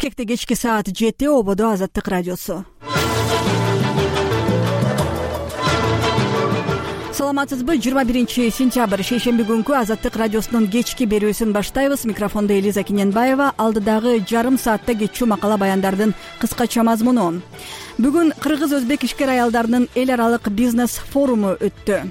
Бишкекте кечки саат 7 ободо Азаттык радиосу. Саламатсызбы? 21-сентябрь шейшемби күнкү Азаттык радиосунун кечки берүүсүн баштайбыз. Микрофондо Элиза Киненбаева. Алдыдагы жарым саатта кетчү макала баяндардын кыскача мазмуну. Бүгүн кыргыз-өзбек ишкер аялдарынын эл аралык бизнес форуму өттү.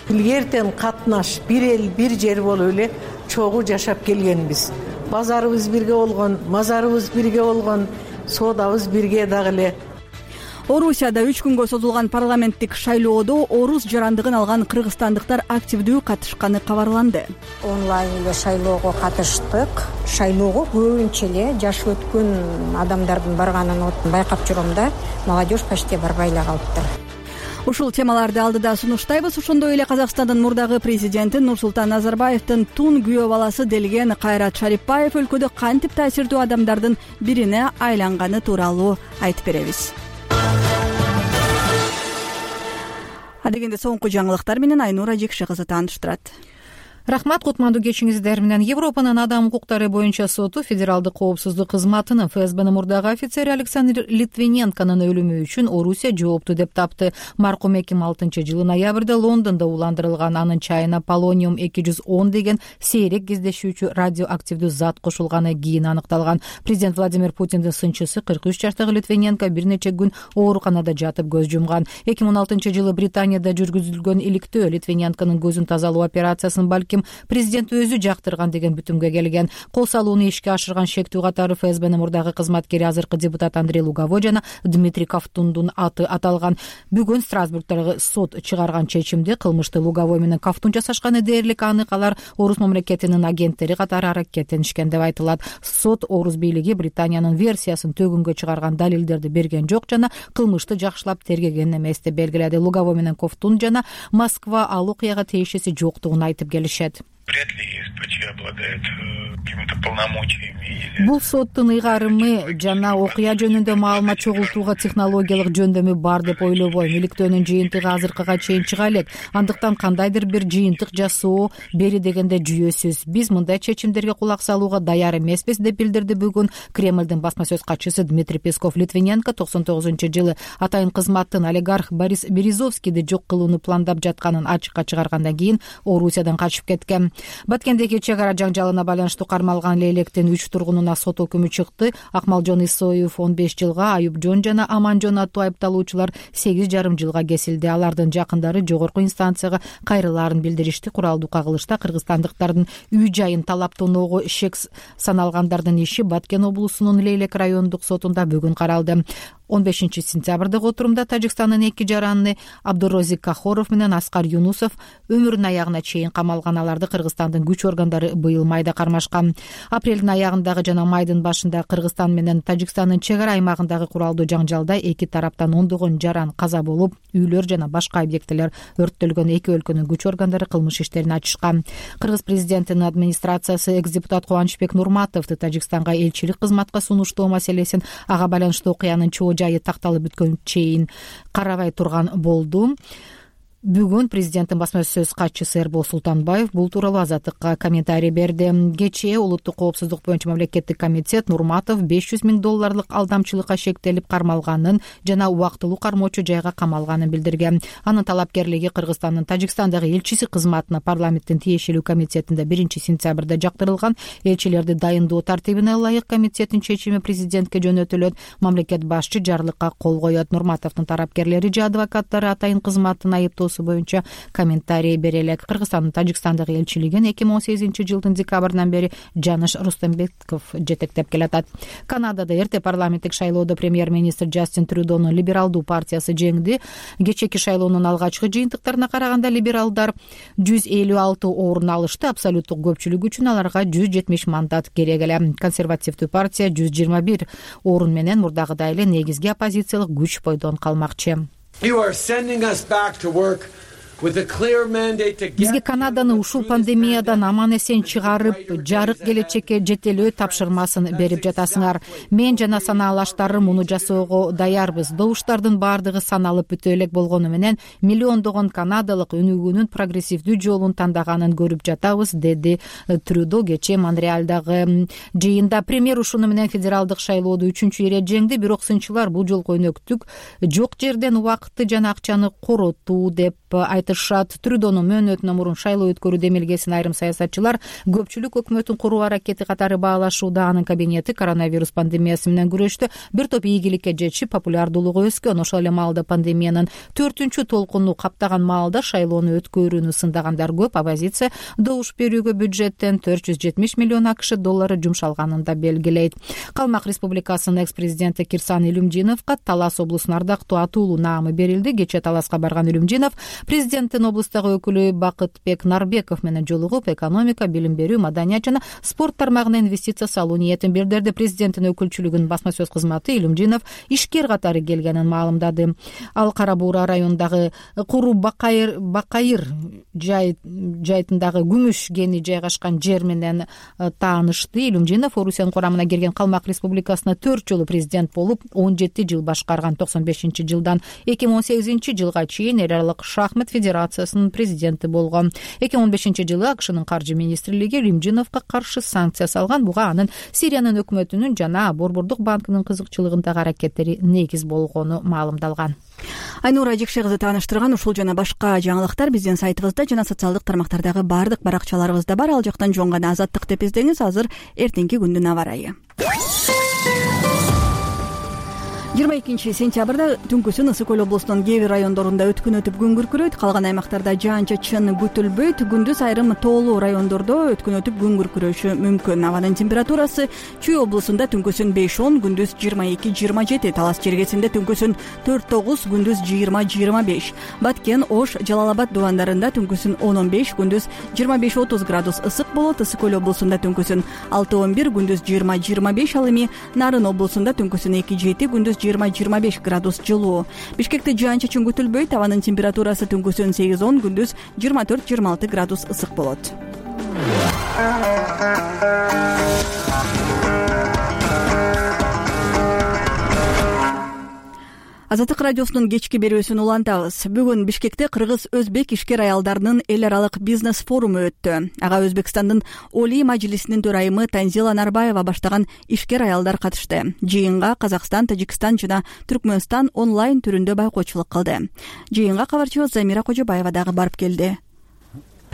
Эртен катнаш, бир эл, бир жер болуп эле чогуу жашап келгенбиз. Базарыбыз бирге болгон, мазарыбыз бирге болгон, соодабыз бирге дагы эле. Орусияда 3 күнгө созулган парламенттик шайлоодо орус жарандыгын алган кыргызстандыктар активдүү катышканы кабарланды. Онлайн эле шайлоого катыштык. Шайлоого көбүнчө эле жашы өткөн адамдардын барганын байкап жүрөм да, молодежь почти барбай эле калыптыр. Ушул темаларды алдыда сунуштайбыз. Ошондой эле Казакстандын мурдагы президенти Нурсултан Назарбаевдин тун күйөө баласы делген Кайрат Шарипбаев өлкөдө кантип таасирдүү адамдардын бирине айланганы тууралуу айтып беребиз. Адегенде соңку жаңылыктар менен Айнура Жекши кызы тааныштырат. Рахмат, кутмандуу кечиңиздер менен. Европанын адам укуктары боюнча соту федералдык коопсуздук кызматынын ФСБнын мурдагы офицери Александр Литвиненконун өлүмү үчүн Орусия жоопту деп тапты. Маркум 2006-жылы ноябрда Лондондо уландырылган, анын чайына полониум 210 деген сейрек кездешүүчү радиоактивдүү зат кошулганы кийин аныкталган. Президент Владимир Путиндин сынчысы 43 жаштагы Литвиненко бир нече күн ооруканада жатып көз жумган. 2016-жылы Британияда жүргүзүлгөн иликтөө Литвиненконун көзүн тазалоо операциясын балким президент өзү жактырган деген бүтүмгө келген. Кол салууну ишке ашырган шектүү катары ФСБнын мурдагы кызматкери, азыркы депутат Андрей Луговой жана Дмитрий Ковтундун аты аталган. Бүгүн Страсбургдагы сот чыгарган чечимде кылмышты Луговой менен Ковтун жасашканы дээрлик анык. Алар орус мамлекетинин агенттери катары аракеттенишкен деп айтылат. Сот орус бийлиги Британиянын версиясын төгүнгө чыгарган далилдерди берген жок жана кылмышты жакшылап тергеген эмес деп белгиледи. Луговой менен Ковтун жана Москва ал окуяга тиешеси жоктугун айтып келишет. Вряд ли СПЧ обладает какими-то полномочиями. Бул соттун ыйгарымы жана окуя жөнүндө маалымат чогултууга технологиялык жөндөмү бар деп ойлобойм. Иликтөөнүн жыйынтыгы азыркыга чейин чыга элек. Андыктан кандайдыр бир жыйынтык жасоо бери дегенде жүйөсүз. Биз мындай чечимдерге кулак салууга даяр эмеспиз деп билдирди бүгүн Кремлдин басма сөз катчысы Дмитрий Песков. Литвиненко 99-жылы атайын кызматтын олигарх Борис Березовскийди жок кылууну пландап жатканын ачыкка чыгаргандан кийин Орусиядан качып кеткен. Баткендеги чек ара жаңжалына байланыштуу кармалган Лейлектин 3 тургунуна сот өкүмү чыкты. Акмалжон Исоев 15 жылга, Аюпжон жана Аманжон аттуу айыпталуучулар 8,5 жылга кесилди. Алардын жакындары жогорку инстанцияга кайрылаарын билдиришти. Куралдуу кагылышта кыргызстандыктардын үй жайын талап тоноого шек саналгандардын иши Баткен облусунун Лейлек райондук сотунда бүгүн каралды. 15-сентябрдагы отурумда Тажикстандын 2 жараны Абдурозик Кахоров менен Аскар Юнусов өмүрүнүн аягына чейин камалган. Аларды Кыргызстандын күч органдары быйыл майда кармашкан. Апрелдин аягындагы жана майдын башында Кыргызстан менен Тажикстандын чек ара аймагындагы куралдуу жаңжалда эки тараптан ондогон жаран каза болуп, үйлөр жана башка объектилер өрттөлгөн. Эки өлкөнүн күч органдары кылмыш иштерин ачышкан. Кыргыз президентинин администрациясы экс-депутат Кубанычбек Нурматовду Тажикстанга элчилик кызматка сунуштоо маселесин ага байланыштуу окуянын чоо жайы такталып бүткөн чейин карабай турган болду. Бүгүн президенттин басма сөз катчысы Эрбол Султанбаев бул тууралуу Азаттыкка комментарий берди. Кечээ улуттук коопсуздук боюнча мамлекеттик комитет Нурматов $500 000 алдамчылыкка шектелип кармалганын жана убактылуу кармоочу жайга камалганын билдирген. Анын талапкерлиги Кыргызстандын Тажикстандагы элчиси кызматына парламенттин тиешелүү комитетинде 1-сентябрда жактырылган. Элчилерди дайындоо тартибине ылайык комитеттин чечими президентке жөнөтүлөт. Мамлекет башчы жарлыкка кол коет. Нурматовдун тарапкерлери же адвокаттары атайын кызматтын айыптоосу боюнча комментарий бере элек. Кыргызстандын Тажикстандагы элчилигин 2018-жылдын декабрынан бери Жаныш Рустембеков жетектеп келатат. Канадада эрте парламенттик шайлоодо премьер-министр Джастин Трюдонун либералдуу партиясы жеңди. Кечээки шайлоонун алгачкы жыйынтыктарына караганда либералдар 156 орун алышты. Абсолюттук көпчүлүк үчүн аларга 170 мандат керек эле. Консервативдүү партия 121 орун менен мурдагыдай эле негизги оппозициялык күч бойдон калмакчы. You are sending us back to work бизге Канаданы ушул пандемиядан аман эсен чыгарып, жарык келечекке жетелөө тапшырмасын берип жатасыңар. Мен жана санаалаштарым муну жасоого даярбыз. Добуштардын баардыгы саналып бүтө элек болгону менен миллиондогон канадалык өнүгүүнүн прогрессивдүү жолун тандаганын көрүп жатабыз, деди Трюдо кечээ Монреалдагы жыйында. Премьер ушуну менен федералдык шайлоодо 3-чү ире жеңди, бирок сынчылар бул жолку өнөктүк жок жерден убакытты жана акчаны коротуу деп айтышат. Трюдонун мөөнөтүнөн мурун шайлоо өткөрүү демилгесин айрым саясатчылар көпчүлүк өкмөттүн куруу аракети катары баалашууда. Анын кабинети коронавирус пандемиясы менен күрөштө бир топ ийгиликке жетишип, популярдуулугу өскөн. Ошол эле маалда пандемиянын 4-чү толкуну каптаган маалда шайлоону өткөрүүнү сындагандар көп. Оппозиция добуш берүүгө бюджеттен 470 миллион АКШ доллары жумшалганын да белгилейт. Калмак Республикасынын экс-президенти Кирсан Илюмжиновго Талас облусунун ардактуу атуулуу наамы берилди. Кечээ Таласка барган Илюмжинов президенттин облустагы өкүлү Бакытбек Нарбеков менен жолугуп, экономика, билим берүү, маданият жана спорт тармагына инвестиция салуу ниетин билдирди. Президенттин өкүлчүлүгүнүн басма сөз кызматы Илюмжинов ишкер катары келгенин маалымдады. Ал Кара Буура районундагы Куру Бакайыр жайтындагы күмүш кени жайгашкан жер менен таанышты. Илюмжинов Орусиянын курамына кирген Калмак Республикасына 4 жолу президент болуп, 17 жыл башкарган. 95-жылдан 2018-жылга чейин эл аралык шахмат федерациясынын президенти болгон. 2015-жылы АКШнын каржы министрлиги Илюмжиновго каршы санкция салган. Буга анын Сириянын өкмөтүнүн жана Борбордук банкынын кызыкчылыгындагы аракеттери негиз болгону маалымдалган. Айнура Жекше кызы тааныштырган ушул жана башка жаңылыктар биздин сайтыбызда жана социалдык тармактардагы баардык баракчаларыбызда бар. Ал жактан жоңгана Азаттык деп издеңиз. Азыр эртеңки күндүн аба ырайы. 22-сентябрда түнкүсүн Ысык Көл облусунун кээ бир райондорунда өткүн өтүп күн күркүрөйт. Калган аймактарда жаан-чачын күтүлбөйт. Күндүз айрым тоолуу райондордо өткүн өтүп күн күркүрөшү мүмкүн. Абанын температурасы Чүй облусунда түнкүсүн 5-10, күндүз 22-27, Талас чергесинде түнкүсүн 4-9, күндүз 20-25. Баткен, Ош, Жалал-Абад дубандарында түнкүсүн 10-15, күндүз 25-30 градус ысык болот. Ысык Көл облусунда түнкүсүн 6-11, күндүз 20-25. Ал эми Нарын облусунда түнкүсүн 2-7, күндүз 20-25 градус жылуу. Бишкекте жаан-чачын күтүлбөйт. Абанын температурасы түнкүсүн 8-10, күндүз 24-26 градус ысык болот. Азаттык радиосунун кечки берүүсүн улантабыз. Бүгүн Бишкекте кыргыз-өзбек ишкер аялдарынын эл аралык бизнес форуму өттү. Ага Өзбекстандын Олий мажлисинин төрайымы Танзила Нарбаева баштаган ишкер аялдар катышты. Жыйынга Казакстан, Тажикстан жана Түркмөнстан онлайн түрүндө байкоочулук кылды. Жыйынга кабарчыбыз Замира Кожобаева дагы барып келди.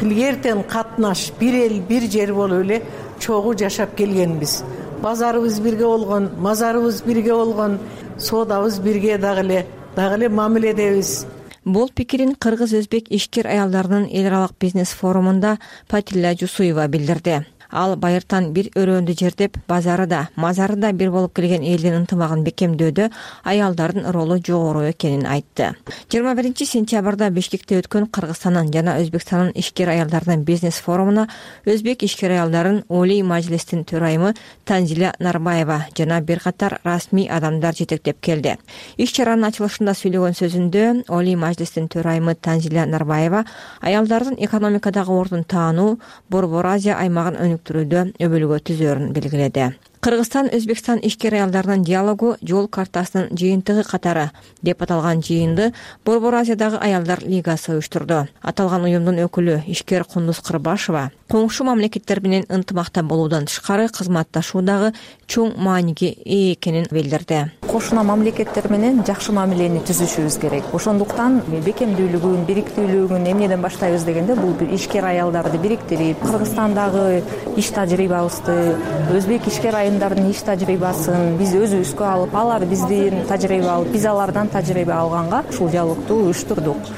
Илгертен катнаш бир эл бир жер болуп эле чогуу жашап келгенбиз. Базарыбыз бирге болгон, мазарыбыз бирге болгон, соодабыз бирге дагы эле мамиледебиз. Бул пикирин кыргыз-өзбек ишкер аялдарынын эл аралык бизнес форумунда Патилля Жусуева билдирди. Ал байыртан бир өрөөндү жердеп, базары да, мазары да бир болуп келген элдин ынтымагын бекемдөөдө аялдардын ролу жогору экенин айтты. 21-сентябрда Бишкекте өткөн Кыргызстандын жана Өзбекстандын ишкер аялдарынын бизнес форумуна өзбек ишкер аялдарын Олий мажлистин төрайымы Танзила Нарбаева жана бир катар расмий адамдар жетектеп келди. Иш чаранын ачылышында сүйлөгөн сөзүндө Олий мажлистин төрайымы Танзила Нарбаева аялдардын экономикадагы ордун таануу, Борбор Азия аймагын өнүктүрүүдө өбөлгө түзөрүн белгиледи. Кыргызстан-Өзбекстан ишкер аялдарынын диалогу жол картасынын жыйынтыгы катары деп аталган жыйынды Борбор Азиядагы аялдар лигасы уюштурду. Аталган уюмдун өкүлү ишкер Кундуз Кырбашева коңшу мамлекеттер менен ынтымакта болуудан тышкары кызматташуудагы чоң мааниге ээ экенин билдирди. Кошуна мамлекеттер менен жакшы мамилени түзүшүбүз керек. Ошондуктан бекемдүүлүгүн, бириктүүлүгүн эмнеден баштайбыз дегенде бул бир ишкер аялдарды бириктирип, Кыргызстандагы иш тажрыйбабызды, өзбек ишкер айымдардын иш тажрыйбасын биз өзүбүзгө алып, алар бизден тажрыйба алып, биз алардан тажрыйба алганга ушул диалогду уюштурдук.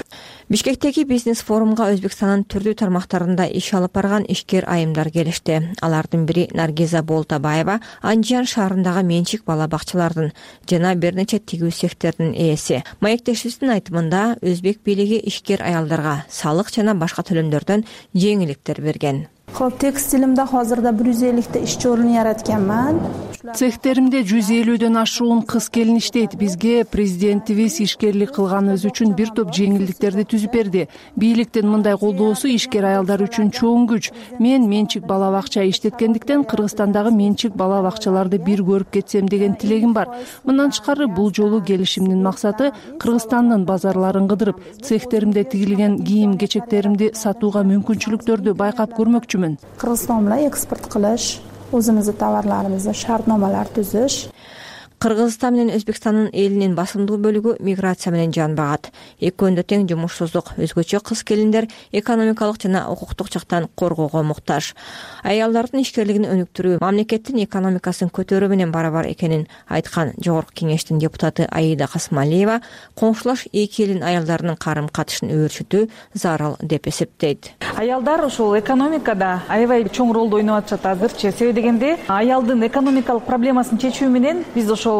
Бишкектеги бизнес форумга Өзбекстандын түрдүү тармактарында иш алып барган ишкер айымдар келишти. Алардын бири Наргиза Болтабаева Анжан шаарындагы менчик бала бакчалардын жана бир нече тигүү цехтердин ээси. Маектешибиздин айтымында өзбек бийлиги ишкер аялдарга салык жана башка төлөмдөрдөн жеңилдиктер берген. Хоп, текстилимде азырда 150 ишчи орун яратканмын. Цехтеримде 150дөн ашуун кыз-келин иштейт. Бизге президентибиз ишкерлик кылганыбыз үчүн бир топ жеңилдиктерди түзүп берди. Бийликтин мындай колдоосу ишкер аялдар үчүн чоң күч. Мен менчик бала бакча иштеткендиктен Кыргызстандагы менчик бала бакчаларды бир көрүп кетсем деген тилегим бар. Мындан тышкары бул жолу келишимдин максаты Кыргызстандын базарларын кыдырып, цехтеримде тигилген кийим-кечектеримди сатууга мүмкүнчүлүктөрдү байкап көрмөкчүмүн. Кыргызстан менен экспорт кылыш, өзүмүздүн товарларыбызды шартномалар түзүш. Кыргызстан менен Өзбекстандын элинин басымдуу бөлүгү миграция менен жан багат. Экөөндө тең жумушсуздук, өзгөчө кыз-келиндер экономикалык жана укуктук жактан коргоого муктаж. Аялдардын ишкерлигин өнүктүрүү мамлекеттин экономикасын көтөрүү менен барабар экенин айткан Жогорку Кеңештин депутаты Аида Касмалиева коңшулаш эки элдин аялдарынын карым-катышын өөрчүтүү зарыл деп эсептейт. Аялдар ушул экономикада аябай чоң ролду ойноп атышат азырчы. Себеби дегенде аялдын экономикалык проблемасын чечүү менен биз ошол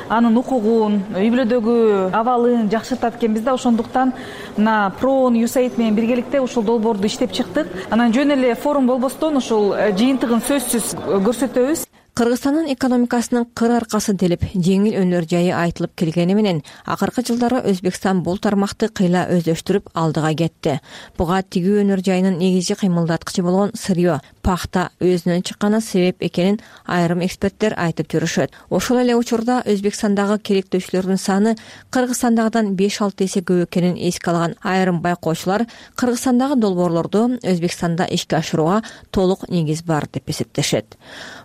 анын укугун, үй бүлөдөгү абалын жакшыртат экенбиз да. Ошондуктан мына ПРООН, USAID менен биргеликте ушул долбоорду иштеп чыктык. Анан жөн эле форум болбостон ушул жыйынтыгын сөзсүз көрсөтөбүз. Кыргызстандын экономикасынын кыр аркасы делип, жеңил өнөр жайы айтылып келгени менен акыркы жылдары Өзбекстан бул тармакты кыйла өздөштүрүп алдыга кетти. Буга тигүү өнөр жайынын негизги кыймылдаткычы болгон сырьё, пахта өзүнөн чыкканы себеп экенин айрым эксперттер айтып жүрүшөт. Ошол эле учурда Өзбекстандагы керектөөчүлөрдүн саны Кыргызстандагыдан 5-6 эсе көп экенин эске алган айрым байкоочулар Кыргызстандагы долбоорлорду Өзбекстанда ишке ашырууга толук негиз бар деп эсептешет.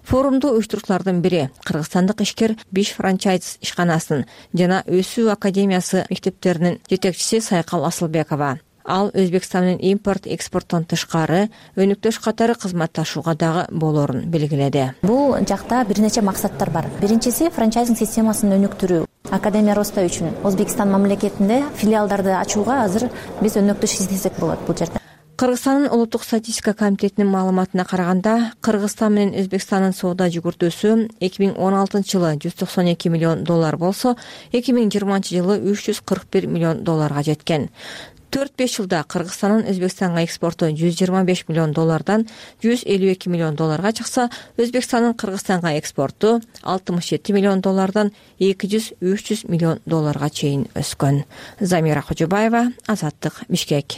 Форумду уюштуруучулардын бири кыргызстандык ишкер Биш франчайз ишканасынын жана Өсүү академиясы мектептеринин жетекчиси Сайкал Асылбекова. Ал Өзбекстан менен импорт экспорттон тышкары өнүктөш катары кызматташууга дагы болоорун белгиледи. Бул жакта бир нече максаттар бар. Биринчиси франчайзинг системасын өнүктүрүү. Академия роста үчүн Өзбекстан мамлекетинде филиалдарды ачууга азыр биз өнөктөш издесек болот бул жерде. Кыргызстандын улуттук статистика комитетинин маалыматына караганда, Кыргызстан менен Өзбекстандын соода жүгүртүүсү 2016 жылы $192 миллион болсо, 2020 жылы $341 миллион жеткен. 4-5 жылда Кыргызстандын Өзбекстанга экспорту $125 миллион $152 миллион чыкса, Өзбекстандын Кыргызстанга экспорту $67 миллион $200-300 миллион чейин өскөн. Замира Кожобаева, Азаттык, Бишкек.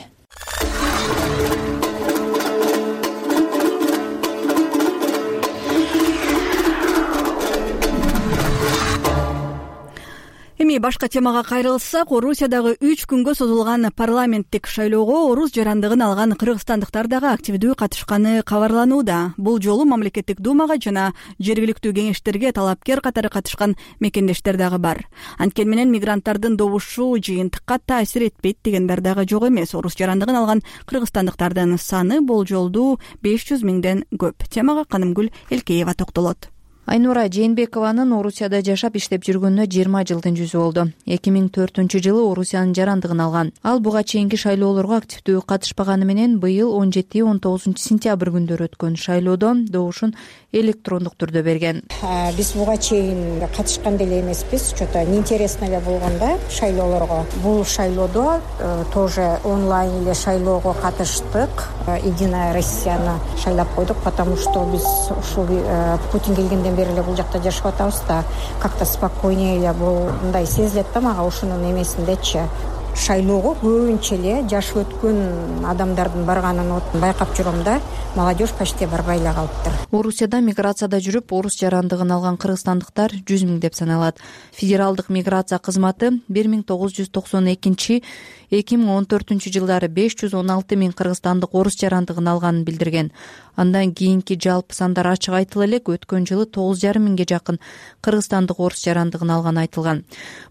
Эми башка темага кайрылсак, Орусиядагы 3 күнгө созулган парламенттик шайлоого орус жарандыгын алган кыргызстандыктар дагы активдүү катышканы кабарланууда. Бул жолу мамлекеттик думага жана жергиликтүү кеңештерге талапкер катары катышкан мекендештер дагы бар. Анткени менен мигранттардын добушу жыйынтыкка таасир этпейт дегендер дагы жок эмес. Орус жарандыгын алган кыргызстандыктардын саны болжолдуу 500 миңден көп. Темага Канымгүл Элкеева токтолот. Айнура Жээнбекованын Орусияда жашап иштеп жүргөнүнө 20 жылдын жүзү болду. 2004-жылы Орусиянын жарандыгын алган. Ал буга чейинки шайлоолорго активдүү катышпаганы менен быйыл 17-19 сентябрь күндөрү өткөн шайлоодо добушун электрондук түрдө берген. Биз буга чейин катышкан деле эмеспиз, что-то неинтересно эле болгон да шайлоолорго. Бул шайлоодо тоже онлайн эле шайлоого катыштык. Единая Россияны шайлап койдук, потому что биз ушул Путин келгенден бери эле бул жакта жашап атабыз да, как-то спокойнее эле мындай сезилет да мага ушунун эмесиндечи. Шайлоого көбүнчө эле жашы өткөн адамдардын барганын байкап жүрөм да, молодежь почти барбай эле калыптыр. Орусияда миграцияда жүрүп, орус жарандыгын алган кыргызстандыктар 100 миң деп саналат. Федералдык миграция кызматы 1992-2014 жылдары 516 миң кыргызстандык орус жарандыгын алганын билдирген. Андан кийинки жалпы сандар ачык айтыла элек, өткөн жылы 9,5 миңге жакын кыргызстандык орус жарандыгын алганы айтылган.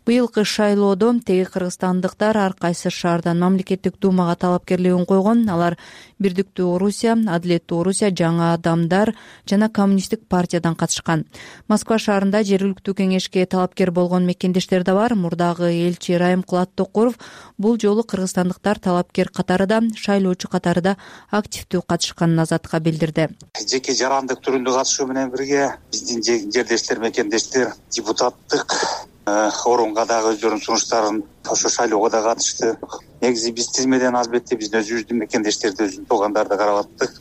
Быйылкы шайлоодо теги кыргызстандыктар ар кайсы шаардан мамлекеттик думага талапкерлигин койгон. Алар Бирдиктүү Орусия, Адилеттүү Орусия, Жаңы Адамдар жана Коммунисттик партиядан катышкан. Москва шаарында жергиликтүү кеңешке талапкер болгон мекендештер да бар. Мурдагы элчи Райымкулат Токуров бул жолу кыргызстандыктар талапкер катарында, шайлоочу катарында активдүү катышканын Азатка билдирди. Жеке жарандык түрүндө катышуу менен бирге биздин жердештер, мекендештер депутаттык орунга дагы өздөрүнүн сунуштарын ошо шайлоого да катышты. Негизи биз тизмеден албетте биздин өзүбүздүн мекендештерди, өзүбүздүн туугандарды карап аттык.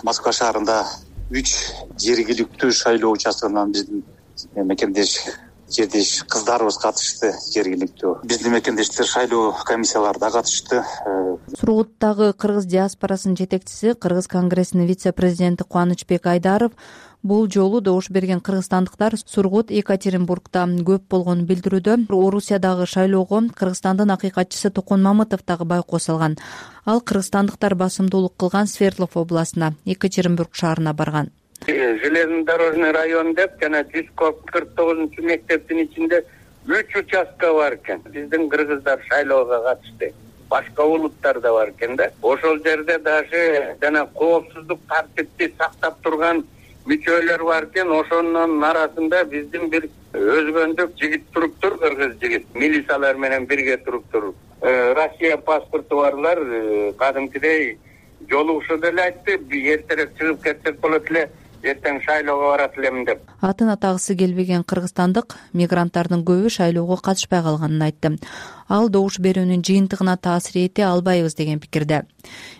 Москва шаарында 3 жергиликтүү шайлоо участкынан биздин мекендеш жердеш кыздарыбыз катышты. Жергиликтүү биздин мекендештер шайлоо комиссиялары да катышты. Сургуттагы кыргыз диаспорасынын жетекчиси, Кыргыз конгрессинин вице-президенти Кубанычбек Айдаров бул жолу добуш берген кыргызстандыктар Сургут, Екатеринбургда көп болгонун билдирүүдө. Орусиядагы шайлоого Кыргызстандын акыйкатчысы Токон Мамытов дагы байкоос алган. Ал кыргызстандыктар басымдуулук кылган Свердлов областына, Екатеринбург шаарына барган. Железнодорожный район деп жана 149 мектептин ичинде 3 участка бар экен. Биздин кыргыздар шайлоого катышты. Башка улуттар да бар экен да. Ошол жерде даже жана коопсуздук тартипти сактап турган мүчөлөр бар экен. Ошонун арасында биздин бир өзгөндүк жигит туруптур, кыргыз жигит. Милициялар менен бирге туруптур. Россия паспорту барлар кадимкидей жолугушуу деле айтты. Эртерээк чыгып кетсек болот эле. Эртең шайлоого барат элем деп. Атын атагысы келбеген кыргызстандык мигранттардын көбү шайлоого катышпай калганын айтты. Ал добуш берүүнүн жыйынтыгына таасир эте албайбыз деген пикирде.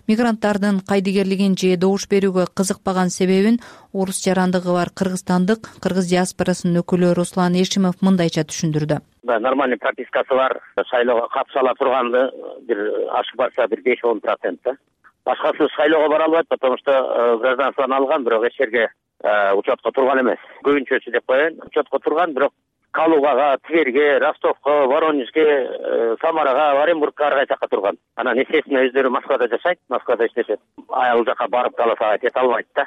Мигранттардын кайдыгерлигин же добуш берүүгө кызыкпаган себебин орус жарандыгы бар кыргызстандык кыргыз диаспорасынын өкүлү Руслан Эшимов мындайча түшүндүрдү. Нормальный пропискасы бар, шайлоого катыша ала турганды бир ашып барса бир 5-10%. Башкасы шайлоого бара албайт, потому что гражданствоны алган, бирок эч жерге учетко турган эмес. Көбүнчөсү деп коеюн, учетко турган, бирок Калугага, Тверге, Ростовко, Воронежге, Самарага, Оренбургка ар кайсы жакка турган. Анан естественно өздөрү Москвада жашайт, Москвада иштешет. Ал жака барып каласа кете албайт да.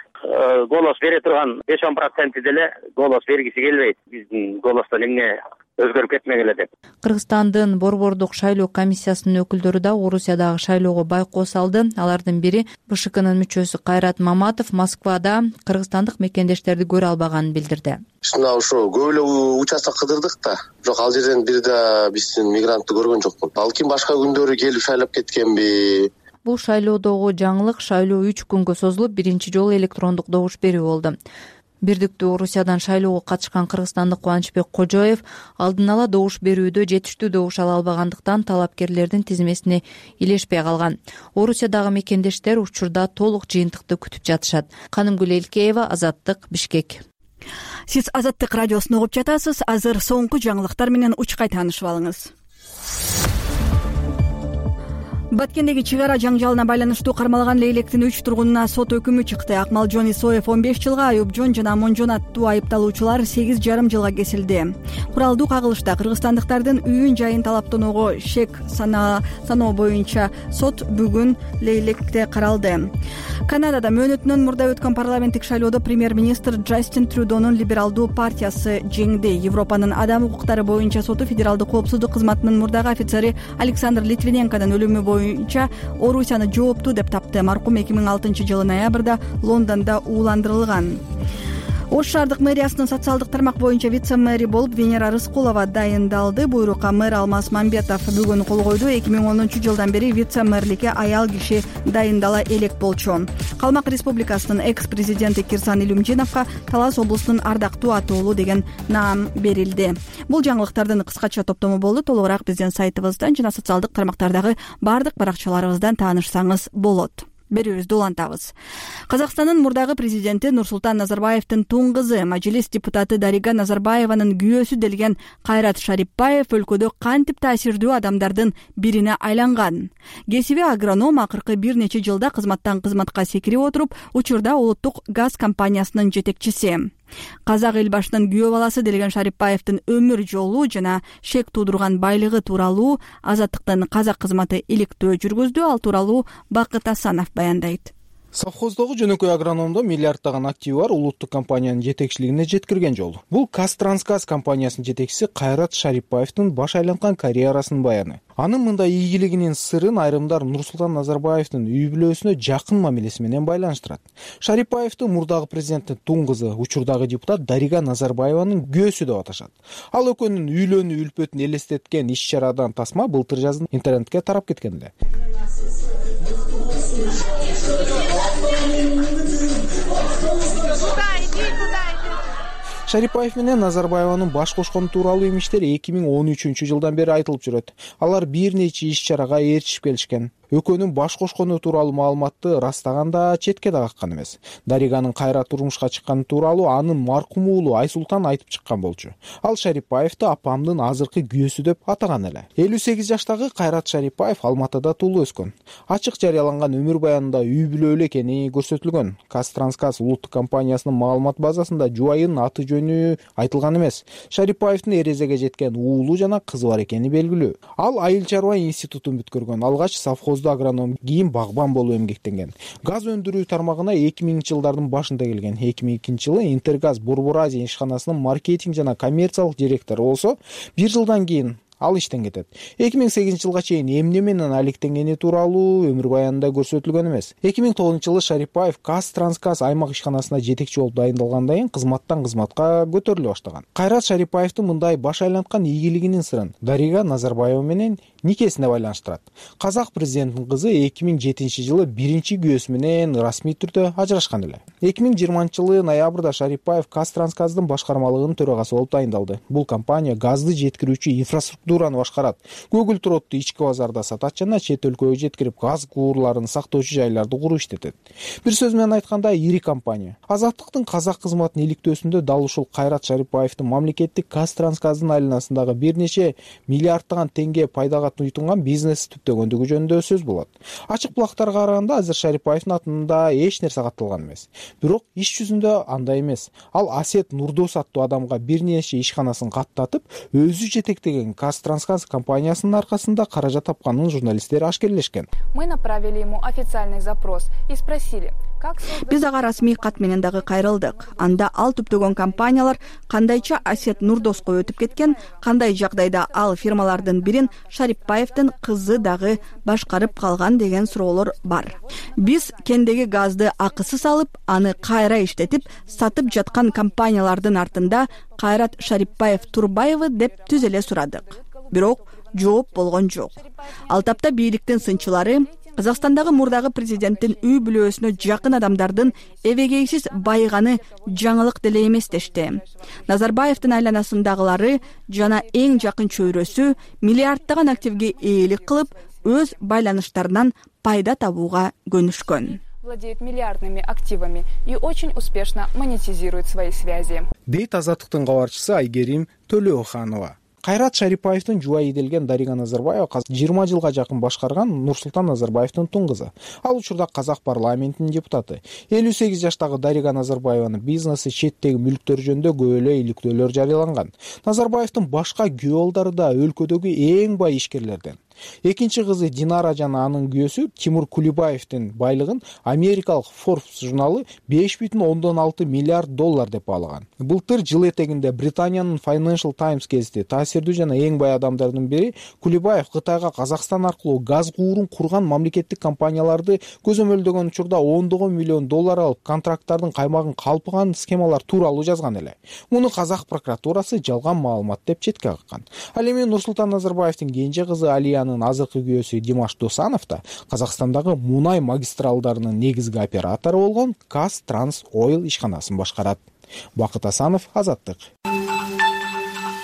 Голос бере турган 5-10% деле голос бергиси келбейт. Биздин голостон эмне өзгөрүп кетмегиле деп. Кыргызстандын борбордук шайлоо комиссиясынын өкүлдөрү да Орусиядагы шайлоого байкоос алды. Алардын бири БШКнын мүчөсү Кайрат Маматов Москвада кыргызстандык мекендештерди көрө албаганын билдирди. Мына ошо көп эле участок кыдырдык да, бирок ал жерден бир да биздин мигрантты көргөн жокмун. Балким башка күндөрү келип шайлап кеткенби. Бул шайлоодогу жаңылык шайлоо 3 күнгө созулуп, биринчи жолу электрондук добуш берүү болду. Бирдиктүү Орусиядан шайлоого катышкан кыргызстандык Кубанычбек Кожоев алдын ала добуш берүүдө жетиштүү добуш ала албагандыктан талапкерлердин тизмесине илешпей калган. Орусиядагы мекендештер учурда толук жыйынтыкты күтүп жатышат. Канымгүл Элкеева, Азаттык, Бишкек. Сиз Азаттык радиосун угуп жатасыз. Азыр соңку жаңылыктар менен учкай таанышып алыңыз. Баткендеги чыгара жаңжалына байланыштуу кармалган Лейлектин 3 тургунуна сот өкүмү чыкты. Акмалжон Исоев 15 жылга, Аюпжон жана Амонжон аттуу айыпталуучулар 8,5 жылга кесилди. Куралдуу кагылышта кыргызстандыктардын үйүн жайын талаптоого шек саноо боюнча сот бүгүн Лейлектте каралды. Канадада мөөнөтүнөн мурда өткөн парламенттик шайлоодо премьер-министр Джастин Трюдонун либералдуу партиясы жеңди. Европанын адам укуктары боюнча соту федералдык коопсуздук кызматынын мурдагы офицери Александр Литвиненконун өлүмү боюнча Орусияны жооптуу деп тапты. Маркум 2006 жылы ноябрда Лондондо ууландырылган. Ош шаардык мэриясынын социалдык тармак боюнча вице-мэри болуп Венера Рыскулова дайындалды. Буйрукка мэр Алмаз Мамбетов бүгүн кол койду. 2010 жылдан бери вице-мэрликке аял киши дайындала элек болчу. Калмак Республикасынын экс-президенти Кирсан Илюмжиновго Талас облусунун ардактуу атоолу деген наам берилди. Бул жаңылыктардын кыскача топтому болду. Толугураак биздин сайтыбыздан жана социалдык тармактардагы бардык баракчаларыбыздан таанышсаңыз болот. Берүүбүздү улантабыз. Казакстандын мурдагы президенти Нурсултан Назарбаевдин тун кызы, мажилис депутаты Дарига Назарбаеванын күйөөсү делген Кайрат Шарипбаев өлкөдө кантип таасирдүү адамдардын бирине айланган. Кесиби агроном акыркы бир нече жылда кызматтан кызматка секирип отуруп, учурда улуттук газ компаниясынын жетекчиси. Казак эл башынын күйөө баласы делген Шарипбаевдин өмүр жолу жана шек туудурган байлыгы тууралуу Азаттыктын казак кызматы иликтөө жүргүздү. Ал тууралуу Бакыт Асанов баяндайт. Совхоздогу жөнөкөй агрономдо миллиарддаган активи бар улуттук компаниянын жетекчилигине жеткирген жолу. Бул Казтрансгаз компаниясынын жетекчиси Кайрат Шарипбаевдин баш айланткан карьерасынын баяны. Анын мындай ийгилигинин сырын айрымдар Нурсултан Назарбаевдин үй бүлөсүнө жакын мамилеси менен байланыштырат. Шарипбаевди мурдагы президенттин тун кызы, учурдагы депутат Дарига Назарбаеванын күйөөсү деп аташат. Ал экөөнүн үйлөнүү үлпөтүн элестеткен иш-чарадан тасма былтыр жазын интернетке тарап кеткен эле. Шарипбаев менен Назарбаеванын баш кошкону тууралуу имиштер 2013 жылдан бери айтылып жүрөт. Алар бир нече иш-чарага ээрчишип келишкен. экөөнүн баш кошкону тууралуу маалыматты ырастаганда четке да каккан эмес. Дариганын кайра турмушка чыкканы тууралуу анын маркум уулу Айсултан айтып чыккан болчу. Ал Шарипаевди апамдын азыркы күйөөсү деп атаган эле. 58 жаштагы Кайрат Шарипаев Алматыда туулуп өскөн. Ачык жарыяланган өмүр баянында үй бүлөлүү эле экени көрсөтүлгөн. Казтрансгаз улуттук компаниясынын маалымат базасында жубайынын аты жөнү айтылган эмес. Шарипаевдин эрезеге жеткен уулу жана кызы бар экени белгилүү. Ал айыл чарба институтун бүткөргөн. Алгач совхозду агроном, кийин багбан болуп эмгектенген. Газ өндүрүү тармагына 2000-жылдардын башында келген. 2002-жылы Интергаз Борбор Азия ишканасынын маркетинг жана коммерциялык директору болсо, 1 жылдан кийин ал иштен кетет. 2008-жылга чейин эмне менен алектенгени тууралуу өмүр баянында көрсөтүлгөн эмес. 2009-жылы Шарипаев Казтрансгаз аймак ишканасына жетекчи болуп дайындалгандан кийин кызматтан кызматка көтөрүлө баштаган. Кайрат Шарипаевдин мындай баш айланткан ийгилигинин сырын Дарига Назарбаева менен никесине байланыштырат. Казак президентинин кызы 2007-жылы биринчи күйөөсү менен расмий түрдө ажырашкан эле. 2020-жылы ноябрда Шарипаев Казтрансгаздын башкармалыгынын төрагасы болуп дайындалды. Бул компания газды жеткирүүчү инфраструктураны башкарат. Көгүл туротду ички базарда сатат жана чет өлкөгө жеткирип газ куурларын сактоочу жайларды куруп иштетет. Бир сөз менен айтканда, ири компания. Азаттыктын казак кызматын иликтөөсүндө дал ушул Кайрат Шарипаевдин мамлекеттик Казтрансгаздын айланасындагы бир нече миллиарддаган теңге пайдага туйтунган бизнес түптөгөндүгү жөнүндө сөз болот. Ачык булактарга караганда азыр Шарипаевдин атында эч нерсе катталган эмес. Бирок иш жүзүндө андай эмес. Ал Асет Нурдос аттуу адамга бир нече ишканасын каттатып, өзү жетектеген Казтрансгаз компаниясынын аркасында каражат тапканын журналисттер ашкерлешкен. Мы направили ему официальный запрос и спросили: биз ага расмий кат менен дагы кайрылдык. Анда ал түптөгөн компаниялар кандайча Асет Нурдоско өтүп кеткен, кандай жагдайда ал фирмалардын бирин Шарипаевдин кызы дагы башкарып калган деген суроолор бар. Биз кендеги газды акысыз алып, аны кайра иштетип, сатып жаткан компаниялардын артында Кайрат Шарипаев Турбаевы деп түз эле сурадык. Бирок жооп болгон жок. Ал тапта бийликтин сынчылары Казакстандагы мурдагы президенттин үй бүлөсүнө жакын адамдардын эбегейсиз байыганы жаңылык деле эмес дешти. Назарбаевдин айланасындагылары жана эң жакын чөйрөсү миллиарддаган активге ээлик кылып, өз байланыштарынан пайда табууга көнүшкөн. Владеет миллиардными активами и очень успешно монетизирует свои связи. Дейт Азаттыктын кабарчысы Айгерим Төлөөханова. Кайрат Шарипаевдин жубайы делген Дарига Назарбаева 20 жылга жакын башкарган Нурсултан Назарбаевдин тун кызы. Ал учурда Казак парламентинин депутаты. 58 жаштагы Дарига Назарбаеванын бизнеси, четтеги мүлктөр жөнүндө көп эле иликтөөлөр жарыяланган. Назарбаевдин башка күйөөолдору да өлкөдөгү эң бай ишкерлерден. Экинчи кызы Динара жана анын күйөөсү Тимур Кулибаевдин байлыгын америкалык Forbes журналы 5,6 миллиард доллар деп баалаган. Былтыр жыл этегинде Британиянын Financial Times гезити таасирдүү жана эң бай адамдардын бири Кулибаев Кытайга Казакстан аркылуу газ куурун курган мамлекеттик компанияларды көзөмөлдөгөн учурда $10 миллион алып, контракттардын каймагын калпыган схемалар тууралуу жазган эле. Муну Казак прокуратурасы жалган маалымат деп четке каккан. Ал эми Нурсултан Назарбаевдин кенже кызы Алиянын азыркы күйөөсү Димаш Досанов да Казакстандагы мунай магистралдарынын негизги оператору болгон Казтрансойл ишканасын башкарат. Бакыт Асанов, Азаттык.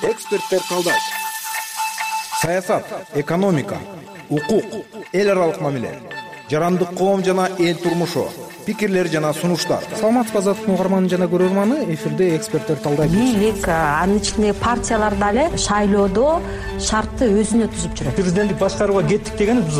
Эксперттер талдайт. Саясат, экономика, укук, эл аралык мамиле, жарандык коом жана эл турмушу, пикирлер жана сунуштар. Саламатсызбы Азаттыктын угарманы жана көрөрманы, эфирде эксперттер талдайт. Бийлик, анын ичинде партиялар дагы шайлоодо шартты өзүнө түзүп жүрөт. Президенттик башкарууга кеттик деген биз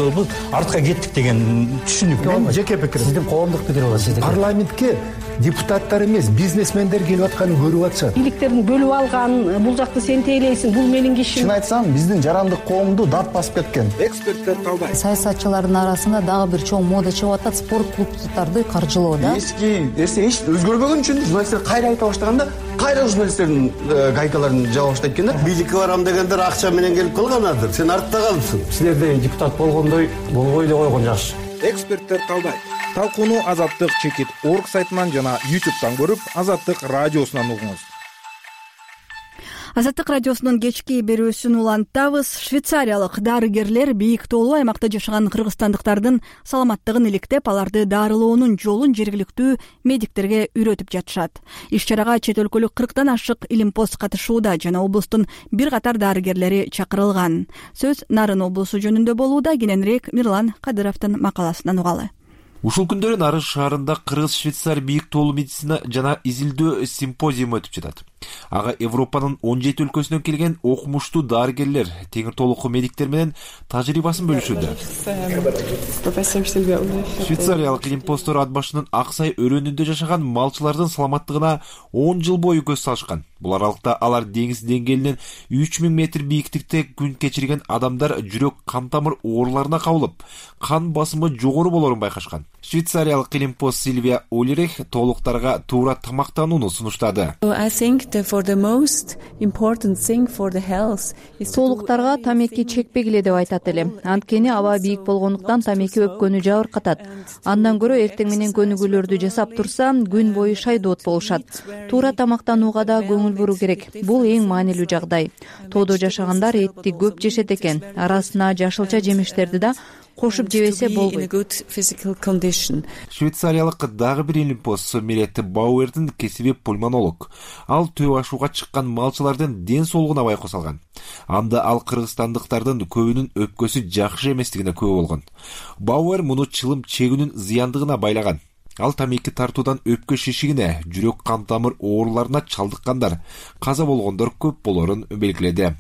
артка кеттик деген түшүнүк. Мен жеке пикирим. Сиздин коомдук пикир болот. Парламентке депутаттар эмес, бизнесмендер келип атканын көрүп атышат. Бийликтерин бөлүп алган, бул жакты сен тейлейсиң, бул менин кишим. Чын айтсам, биздин жарандык коомду дат басып кеткен. Эксперттер талдайт. Саясатчылардын арасында дагы бир чоң мода чыгып атат, спорт клубдарды каржылоо да. Эч өзгөрбөгөн үчүн журналисттер кайра айта баштаганда, кайра журналисттердин гайкаларын жаба баштайт экен да. Бийликке барам дегендер акча менен келип калганадыр. Сен артта калыпсың. Силерде депутат болгондой болбой эле койгон жакшы. Эксперттер талдайт. Талкууну Азаттык чекит.org сайтынан жана YouTube'дан көрүп, Азаттык радиосунан угуңуз. Азаттык радиосунун кечки берүүсүн улантабыз. Швейцариялык дарыгерлер бийик тоолуу аймакта жашаган кыргызстандыктардын саламаттыгын иликтеп, аларды дарылоонун жолун жергиликтүү медиктерге үйрөтүп жатышат. Иш-чарага чет өлкөлүк 40тан ашык илимпоз катышууда жана облустун бир катар дарыгерлери чакырылган. Сөз Нарын облусу жөнүндө болууда. Кененирээк Мирлан Кадыровдун макаласынан угалы. Ушул күндөрү Нарын шаарында Кыргыз-Швейцар бийик тоолуу медицина жана изилдөө симпозиуму өтүп жатат. Ага Европанын 17 өлкөсүнөн келген окумуштуу дарыгерлер, теңир толуку медиктер менен тажрыйбасын бөлүшүүдө. Швейцариялык илимпоздор ат башынын Аксай өрөөнүндө жашаган малчылардын саламаттыгына 10 жыл бою көз салышкан. Бул аралыкта алар деңиз деңгээлинен 3000 метр бийиктикте күн кечирген адамдар жүрөк кан тамыр ооруларына кабылып, кан басымы жогору болорун байкашкан. Швейцариялык илимпоз Сильвия Олерех толуктарга туура тамактанууну сунуштады. Толуктарга тамеки чекпегиле деп айтат элем. Анткени аба бийик болгондуктан тамеки өпкөнү жабыркатат. Андан көрө эртең менен көнүгүүлөрдү жасап турса, күн бою шайдоот болушат. Туура тамактанууга да көңүл буруу керек. Бул эң маанилүү жагдай. Тоодо жашагандар этти көп жешет экен. Арасына жашылча жемиштерди да кошуп жебесе болбойт. Швейцариялык дагы бир илимпоз Мирет Бауэрдин кесиби пульмонолог. Ал төө ашууга чыккан малчылардын ден соолугуна байкоо салган. Анда ал кыргызстандыктардын көбүнүн өпкөсү жакшы эместигине күбө болгон. Бауэр муну чылым чегүүнүн зыяндыгына байлаган. Ал тамеки тартуудан өпкө шишигине, жүрөк кан тамыр ооруларына чалдыккандар, каза болгондор көп болорун белгиледи.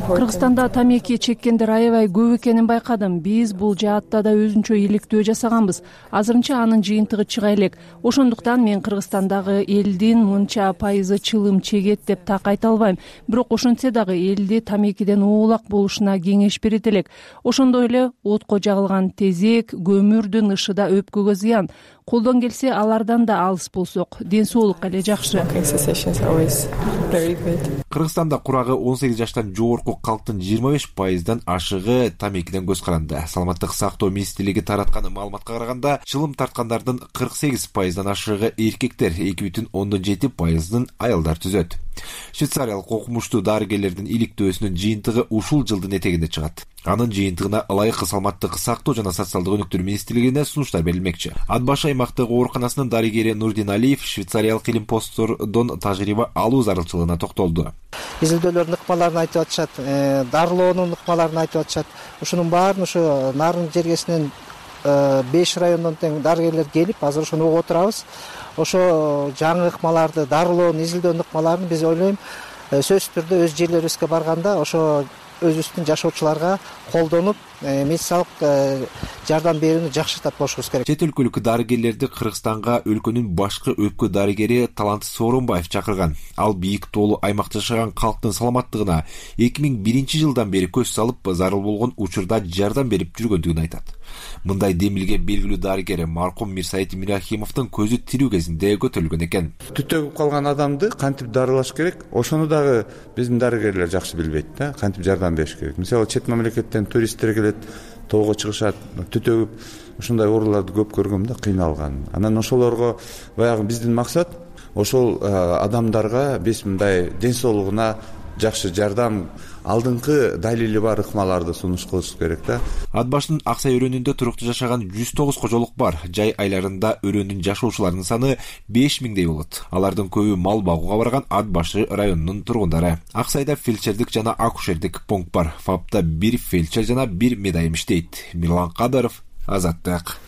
Кыргызстанда тамеки чеккендер аябай көп экенин байкадым. Биз бул жаатта да өзүнчө иликтөө жасаганбыз. Азырынча анын жыйынтыгы чыга элек. Ошондуктан мен Кыргызстандагы элдин мынча пайызы чылым чегет деп так айта албайм. Бирок ошентсе дагы элди тамекиден оолак болушуна кеңеш берет элек. Ошондой эле отко жагылган тезек, көмүр ышыда өпкөгө зыян. Колдон келсе алардан да алыс болсок, ден соолукка эле жакшы. Кыргызстанда курагы 18 жаштан жогорку калктын 25%дан ашыгы тамекиден көз каранды. Саламаттык сактоо министрлиги тараткан маалыматка караганда, чылым тарткандардын 48%дан ашыгы эркектер, 2,7%ын аялдар түзөт. Швейцариялык окумуштуу дарыгерлердин иликтөөсүнүн жыйынтыгы ушул жылдын этегинде чыгат. Анын жыйынтыгына ылайык саламаттык сактоо жана социалдык өнүктүрүү министрлигине сунуштар берилмекчи. Ат башы аймактык ооруканасынын дарыгери Нурдин Алиев швейцариялык илимпоздордон тажрыйба алуу зарылчылыгына токтолду. Изилдөөлөрдүн ыкмаларын айтып атышат, дарылоонун ыкмаларын айтып атышат. Ушунун баарын ушу Нарын жергесинен 5 райондон тең дарыгерлер келип, азыр ошону угуп отурабыз. Ошо жаңы ыкмаларды, дарылоонун, изилдөөнүн ыкмаларын биз ойлойм, сөзсүз түрдө өз жерлерибизге барганда ошо өзүбүздүн жашоочуларга колдонуп, медициналык жардам берүүнү жакшыртат болушубуз керек. Чет өлкөлүк дарыгерлерди Кыргызстанга өлкөнүн башкы өпкө дарыгери Талант Сооронбаев чакырган. Ал бийик тоолуу аймакта жашаган калктын саламаттыгына 2001 жылдан бери көз салып, зарыл болгон учурда жардам берип жүргөндүгүн айтат. Мындай демилге белгилүү дарыгер маркум Мирсайыт Мирахимовдун көзү тирүү кезинде көтөрүлгөн экен. Түтөгүп калган адамды кантип дарылаш керек, ошону дагы биздин дарыгерлер жакшы билбейт да, кантип жардам бериш керек. Мисалы чет мамлекеттен туристтер келет, тоого чыгышат, түтөгүп ушундай ооруларды көп көргөм да, кыйналган. Анан ошолорго баягы биздин максат ошол адамдарга биз мындай ден соолугуна жакшы жардам, алдыңкы далили бар ыкмаларды сунуш кылыш керек да. Ат башынын Аксай өрөөнүндө туруктуу жашаган 109 кожолук бар. Жай айларында өрөөнүн жашоочуларынын саны 5000дей болот. Алардын көбү мал багууга барган Ат башы районунун тургундары. Аксайда фельдшердик жана акушердик пункт бар. ФАПта 1 фельдшер жана 1 медайым иштейт. Мирлан Кадыров, Азаттык.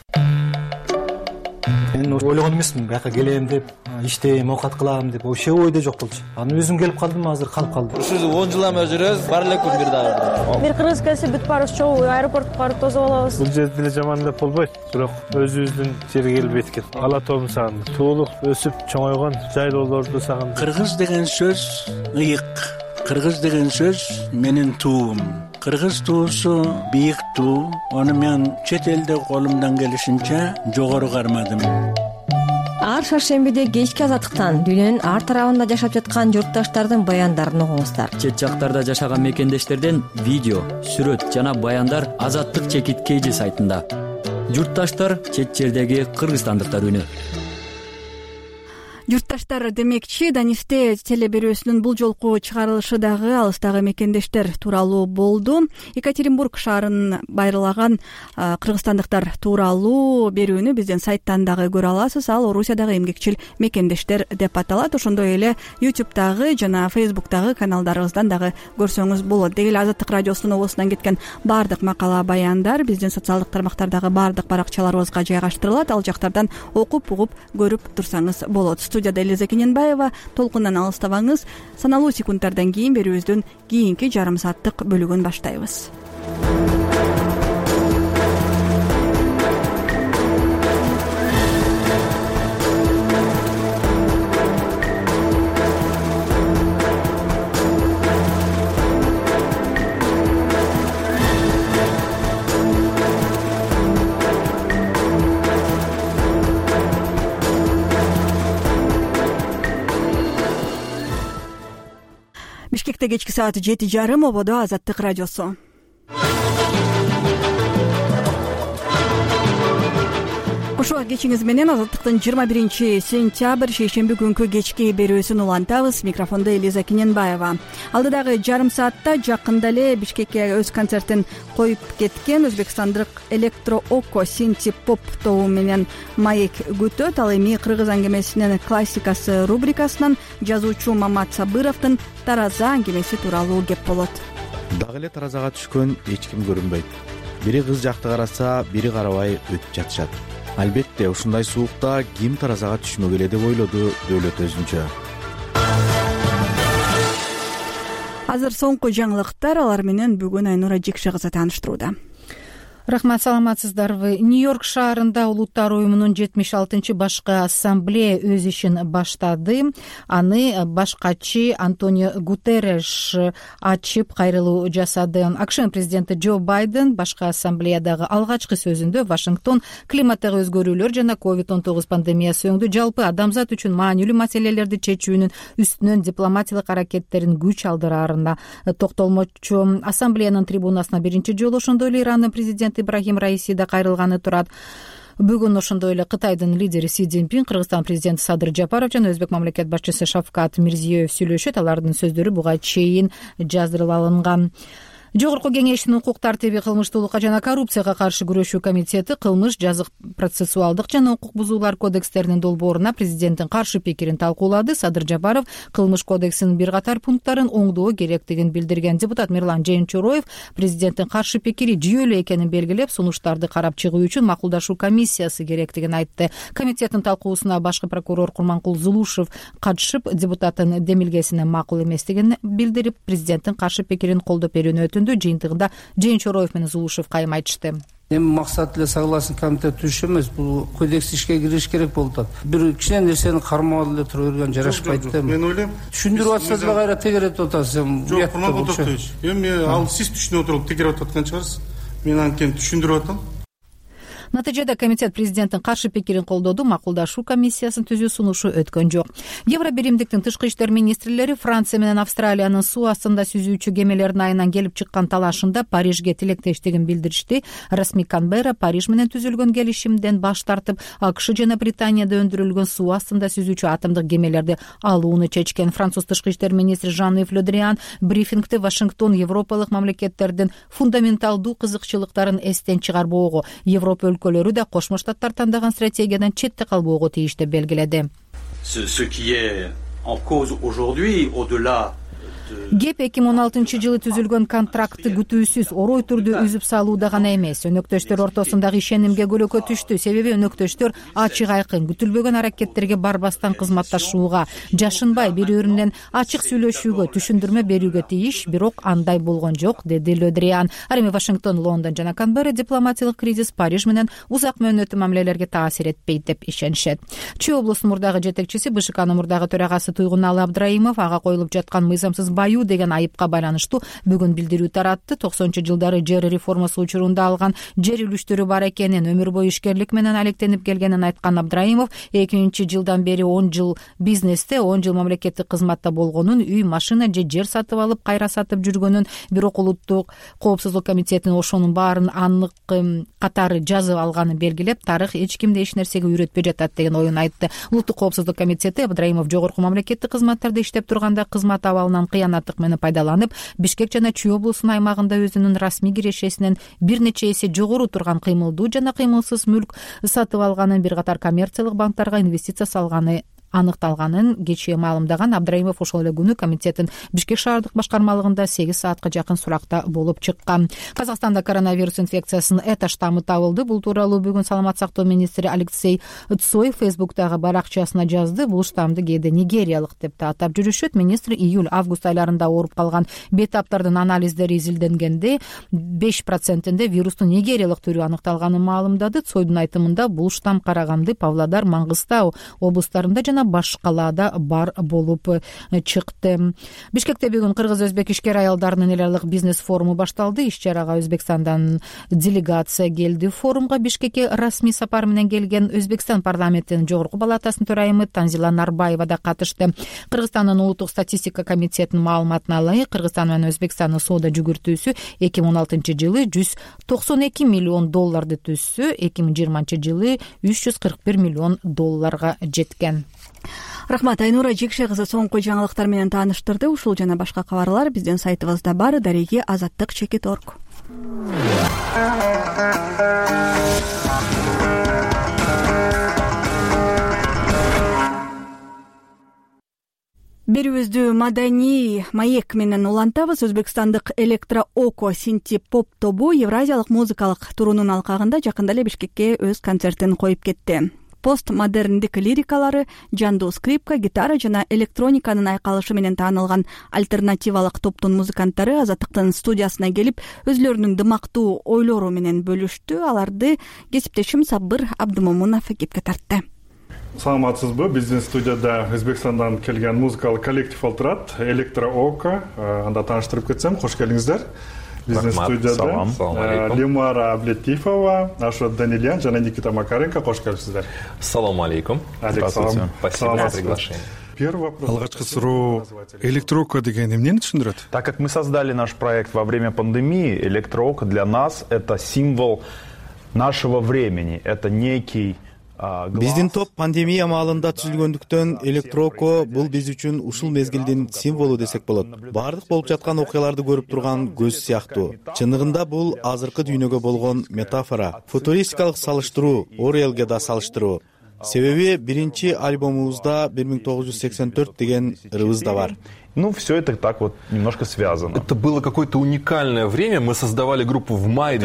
Мен ойлогон эмесмин, бияка келем деп, иштейм, оокат кылам деп, вообще ойдо жок болчу. Анан өзүм келип калдым, азыр калып калдым. Ушул 10 жылдан бери жүрөбүз, бар эле күн бир дагы. Бир кыргыз келсе бүт барыбыз чогуу аэропортко барып тосуп алабыз. Бул жерде деле жаман деп болбойт, бирок өзүбүздүн жерге келбейт экен. Ала тоомду сагындым. Туулук өсүп чоңойгон жайлоолорду сагындым. Кыргыз деген сөз ыйык. Кыргыз деген сөз менин туум. Кыргыз туусу бийик туу. Аны мен чет элде колумдан келишинче жогору кармадым. Ар шаршембиде кечки азаттыктан дүйнөнүн ар тарабында жашап жаткан журтташтардын баяндарын угуңуздар. Чет жактарда жашаган мекендештерден видео, сүрөт жана баяндар Азаттык чекит KG сайтында. Журтташтар чет жердеги кыргызстандыктар үнү. Журтташтар, демекчи Данифте теле берүүсүнүн бул жолку чыгарылышы дагы алыстагы мекендештер тууралуу болду. Екатеринбург шаарын байырлаган кыргызстандыктар тууралуу берүүнү биздин сайттан дагы көрө аласыз. Ал Орусиядагы эмгекчил мекендештер деп аталат. Ошондой эле YouTube'дагы жана Facebook'тагы каналдарыбыздан дагы көрсөңүз болот. Деги эле Азаттык радиосунун обосунан кеткен баардык макала баяндар биздин социалдык тармактардагы баардык баракчаларыбызга жайгаштырылат. Ал жактардан окуп, угуп, көрүп турсаңыз болот. Студияда Элиза Кененбаева. Толкундан алыстабаңыз. Саналуу секундтардан кийин берүүбүздүн кийинки жарым сааттык бөлүгүн баштайбыз. Бишкекте кечки саат 7:30, ободо Азаттык радиосу. Кошо кечиңиз менен Азаттыктын 21-сентябрь шейшемби күнкү кечки берүүсүн улантабыз. Микрофондо Элиза Кененбаева. Алдыдагы жарым саатта жакында эле Бишкекке өз концертин коюп кеткен өзбекстандык электро око синти поп тобу менен маек күтөт. Ал эми кыргыз аңгемесинин классикасы рубрикасынан жазуучу Мамат Сабыровдун Тараза аңгемеси тууралуу кеп болот. Дагы эле таразага түшкөн эч ким көрүнбөйт. Бири кыз жакты караса, бири карабай өтүп жатышат. Албетте, ушундай суукта ким таразага түшмөгүлө деп ойлоду Дөөлөт өзүнчө. Азыр соңку жаңылыктар, алар менен бүгүн Айнура Жекше кызы тааныштырууда. Рахмат, саламатсыздарбы. Нью-Йорк шаарында Улуттар уюмунун 76-чы башкы ассамблея өз ишин баштады. Аны башкачы Антонио Гутерреш ачып кайрылуу жасады. АКШ президенти Джо Байден башкы ассамблеядагы алгачкы сөзүндө Вашингтон климаттагы өзгөрүүлөр жана COVID-19 пандемиясы өңдү жалпы адамзат үчүн маанилүү маселелерди чечүүнүн үстүнөн дипломатиялык аракеттерин күч алдыраарына токтолмокчу. Ассамблеянын трибунасына биринчи жолу ошондой эле Ирандын президенти Ибрахим Раиси да кайрылганы турат. Бүгүн ошондой эле Кытайдын лидери Си Цзиньпин, Кыргызстан президенти Садыр Жапаров жана Өзбек мамлекет башчысы Шавкат Мирзиёев сүйлөшөт. Алардын сөздөрү буга чейин жаздырып алынган. Жогорку кеңештин укук тартиби, кылмыштуулукка жана коррупцияга каршы күрөшүү комитети кылмыш, жазык процессуалдык жана укук бузуулар кодекстеринин долбооруна президенттин каршы пикирин талкуулады. Садыр Жапаров кылмыш кодексинин бир катар пункттарын оңдоо керектигин билдирген. Депутат Мирлан Жээнчороев президенттин каршы пикири жүйөлүү экенин белгилеп, сунуштарды карап чыгуу үчүн макулдашуу комиссиясы керектигин айтты. Комитеттин талкуусуна башкы прокурор Курманкул Зулушев катышып, депутаттын демилгесине макул эместигин билдирип, президенттин каршы пикирин колдоп берүүнү өтүндү. Жыйынтыгында Жээнчороев менен Зулушев кайым айтышты. Эми максат эле согласен комитет түзүш эмес, бул кодекс ишке кириш керек болуп атат. Бир кичине нерсени кармап эле тура берген жарашпайт да. Мен ойлойм, түшүндүрүп атса деле кайра тегеретип атасыз. Жок, Курманкулович, эми ал сиз түшүнүп отуруп тегеретип аткан чыгарсыз. Мен анткени түшүндүрүп атам. Натыйжада комитет президенттин каршы пикирин колдоду, макулдашуу комиссиясын түзүү сунушу өткөн жок. Евробиримдиктин тышкы иштер министрлери Франция менен Австралиянын суу астында сүзүүчү кемелердин айынан келип чыккан талашында Парижге тилектештигин билдиришти. Расмий Канберра Париж менен түзүлгөн келишимден баш тартып, АКШ жана Британияда өндүрүлгөн суу астында сүзүүчү атомдук кемелерди алууну чечкен. Француз тышкы иштер министри Жан-Ив Ле Дриан брифингде Вашингтон европалык мамлекеттердин фундаменталдуу кызыкчылыктарын эстен чыгарбоого, Европа өлкөлөрү да Кошмо Штаттар тандаган стратегиядан четте калбоого тийиш деп белгиледи. Кеп 2016-жылы түзүлгөн контрактты күтүүсүз орой түрдө үзүп салууда гана эмес, өнөктөштөр ортосундагы ишенимге көлөкө түштү. Себеби өнөктөштөр ачык айкын, күтүлбөгөн аракеттерге барбастан кызматташууга, жашынбай бири-биринен ачык сүйлөшүүгө, түшүндүрмө берүүгө тийиш, бирок андай болгон жок, деди Ле Дриан. Ал эми Вашингтон, Лондон жана Канберра дипломатиялык кризис Париж менен узак мөөнөттүү мамилелерге таасир этпейт деп ишенишет. Чүй облусунун мурдагы жетекчиси, БШКнын мурдагы төрагасы Туйгуналы Абдраимов ага коюлуп жаткан мыйзамсыз баю деген айыпка байланыштуу бүгүн билдирүү таратты. 90-жылдары жер реформасы учурунда алган жер үлүштөрү бар экенин, өмүр бою ишкерлик менен алектенип келгенин айткан Абдраимов 2000-жылдан бери 10 жыл бизнесте, 10 жыл мамлекеттик кызматта болгонун, үй, машина же жер сатып алып кайра сатып жүргөнүн, бирок улуттук коопсуздук комитетинин ошонун баарын анык катары жазып алганын белгилеп, тарых эч кимди эч нерсеге үйрөтпөй жатат деген оюн айтты. Улуттук коопсуздук комитети Абдраимов жогорку мамлекеттик кызматтарда иштеп турганда кызмат абалынан кыянаттык менен пайдаланып, Бишкек жана Чүй облусунун аймагында өзүнүн расмий кирешесинен бир нече эсе жогору турган кыймылдуу жана кыймылсыз мүлк сатып алганын, бир катар коммерциялык банктарга инвестиция салганы аныкталганын кечээ маалымдаган Абдраимов ошол эле күнү комитеттин Бишкек шаардык башкармалыгында 8 саатка жакын суракта болуп чыккан. Казакстанда коронавирус инфекциясынын эта штаммы табылды. Бул тууралуу бүгүн саламат сактоо министри Алексей Цой Фейсбуктагы баракчасына жазды. Бул штаммды кээде нигериялык деп да атап жүрүшөт. Министр июль-август айларында ооруп калган бейтаптардын анализдери изилденгенде 5%-нде вирустун нигериялык түрү аныкталганын маалымдады. Цойдун айтымында бул штамм Караганды, Павлодар, Маңгыстау облустарында жана башкаларда бар болуп чыкты. Бишкекте бүгүн кыргыз-өзбек ишкер аялдарынын эл аралык бизнес форуму башталды. Иш-чарага Өзбекстандан делегация келди. Форумга Бишкекке расмий сапар менен келген Өзбекстан парламентинин жогорку палатасынын төрайымы Танзила Нарбаева да катышты. Кыргызстандын улуттук статистика комитетинин маалыматына ылайык, Кыргызстан менен Өзбекстандын соода жүгүртүүсү 2016-жылы $192 миллион түзсө, 2020-жылы $341 миллион жеткен. Рахмат, Айнура Жекше кызы соңку жаңылыктар менен тааныштырды. Ушул жана башка кабарлар биздин сайтыбызда бар. Дареги azаттык.org. Берүүбүздү маданий маек менен улантабыз. Өзбекстандык электро-око синти-поп тобу Евразиялык музыкалык турунун алкагында жакында эле Бишкекке өз концертин коюп кетти. Постмодерндик лирикалары, жандуу скрипка, гитара жана электрониканын айкалышы менен таанылган альтернативалык топтун музыканттары Азаттыктын студиясына келип, өзлөрүнүн дымактуу ойлору менен бөлүштү. Аларды кесиптешим Сабыр Абдымомунов кепке тартты. Саламатсызбы? Биздин студияда Өзбекстандан келген музыкалык коллектив олтурат, электро-око. Анда тааныштырып кетсем, кош келиңиздер. Биздин студияда Лимара Аблетифова, Ашот Данильян жана Никита Макаренко, кош келипсиздер. Салам алейкум. Алейкум. Спасибо за приглашение. Первый вопрос. Алгачкы суроо, электро-око деген эмнени түшүндүрөт? Так как мы создали наш проект во время пандемии, электро-око для нас это символ нашего времени, это некий Биздин топ пандемия маалында түзүлгөндүктөн электро-око бул биз үчүн ушул мезгилдин символу десек болот. Баардык болуп жаткан окуяларды көрүп турган көз сыяктуу. Чындыгында бул азыркы дүйнөгө болгон метафора, футуристикалык салыштыруу, Орелге да салыштыруу. Себеби биринчи альбомубузда 1984 деген ырыбыз да бар. Ну, все это так вот немножко связано. Это было какое-то уникальное время. Мы создавали группу в мае...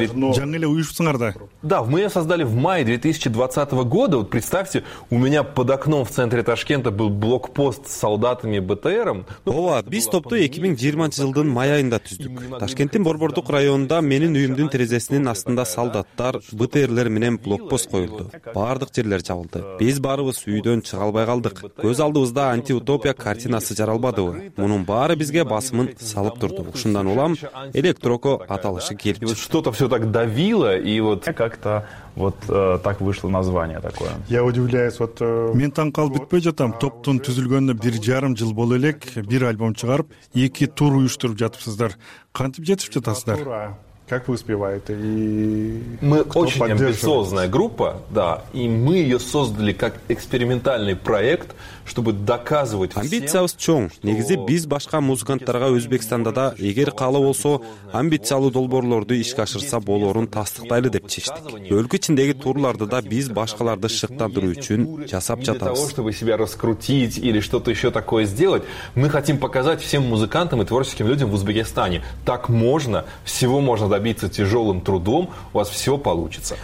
Да, мы ее создали в мае 2020 года. Вот представьте, у меня под окном в центре Ташкента был блокпост с солдатами БТРом. Ооба, биз топту 2020-жылдын май айында түздүк. Ташкенттин Борбордук районунда менин үйүмдүн терезесинин астында солдаттар, БТРлер менен блокпост коюлду. Баардык жерлер жабылды. Биз барыбыз үйдөн чыга албай калдык. Көз алдыбызда антиутопия картинасы жаралбадыбы? Мунун баары бизге басымын салып турду. Ушундан улам электро-око аталышы келип чыкты. Что-то все так давило, и вот как-то вот так вышло название такое. Я удивляюсь, вот... Мен таң калып бүтпөй жатам. Топтун түзүлгөнүнө 1,5 жыл боло элек, бир альбом чыгарып, 2 тур уюштуруп жатыпсыздар. Кантип жетип жатасыздар? Как вы успеваете? И мы очень амбициозная группа, да, и мы ее создали как экспериментальный проект, чтобы доказывать всем. Амбициябыз чоң. Негизи биз башка музыканттарга Өзбекстанда да эгер каалоо болсо амбициялуу долбоорлорду ишке ашырса болоорун тастыктайлы деп чечтик. Өлкө ичиндеги турларды да биз башкаларды шыктандыруу үчүн жасап жатабыз. Для того, чтобы себя раскрутить или что-то еще такое сделать, мы хотим показать всем музыкантам и творческим людям в Узбекистане. Так можно, всего можно добиться тяжелым трудом, у вас все получится.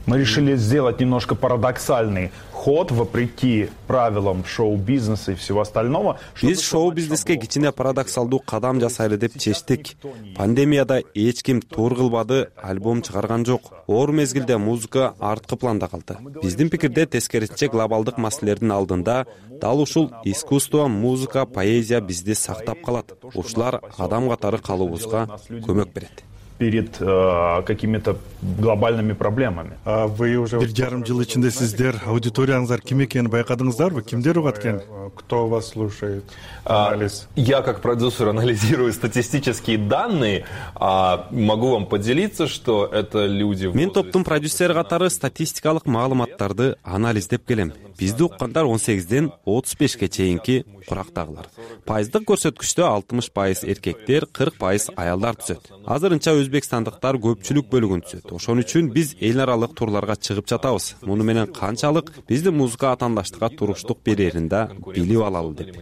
Мы решили сделать немножко парадоксальный ход вопреки правилам шоу-бизнеса и всего остального. Биз шоу-бизнеске кичине парадоксалдуу кадам жасайлы деп чечтик. Пандемияда эч ким туур кылбады, альбом чыгарган жок. Оор мезгилде музыка арткы планда калды. Биздин пикирде тескерисинче глобалдык маселелердин алдында дал ушул искусство, музыка, поэзия бизди сактап калат. Ушулар адам катары калуубузга көмөк берет. Перед какими-то глобальными проблемами. Вы уже 1,5 жыл ичинде сиздер аудиторияңыздар ким экенин байкадыңыздарбы? Кимдер угат экен? Кто вас слушает? Анализ. Я как продюсер анализирую статистические данные, могу вам поделиться, что это люди. Мен топтун продюсери катары статистикалык маалыматтарды анализдеп келем. Бизди уккандар 18ден 35ке чейинки курактагылар. Пайыздык көрсөткүчтө 60% эркектер, 40% аялдар түзөт. Азырынча өзбекстандыктар көпчүлүк бөлүгүн түзөт. Ошон үчүн биз эл аралык турларга чыгып жатабыз. Муну менен канчалык биздин музыка атаандаштыкка туруштук берерин да билип алалы деп.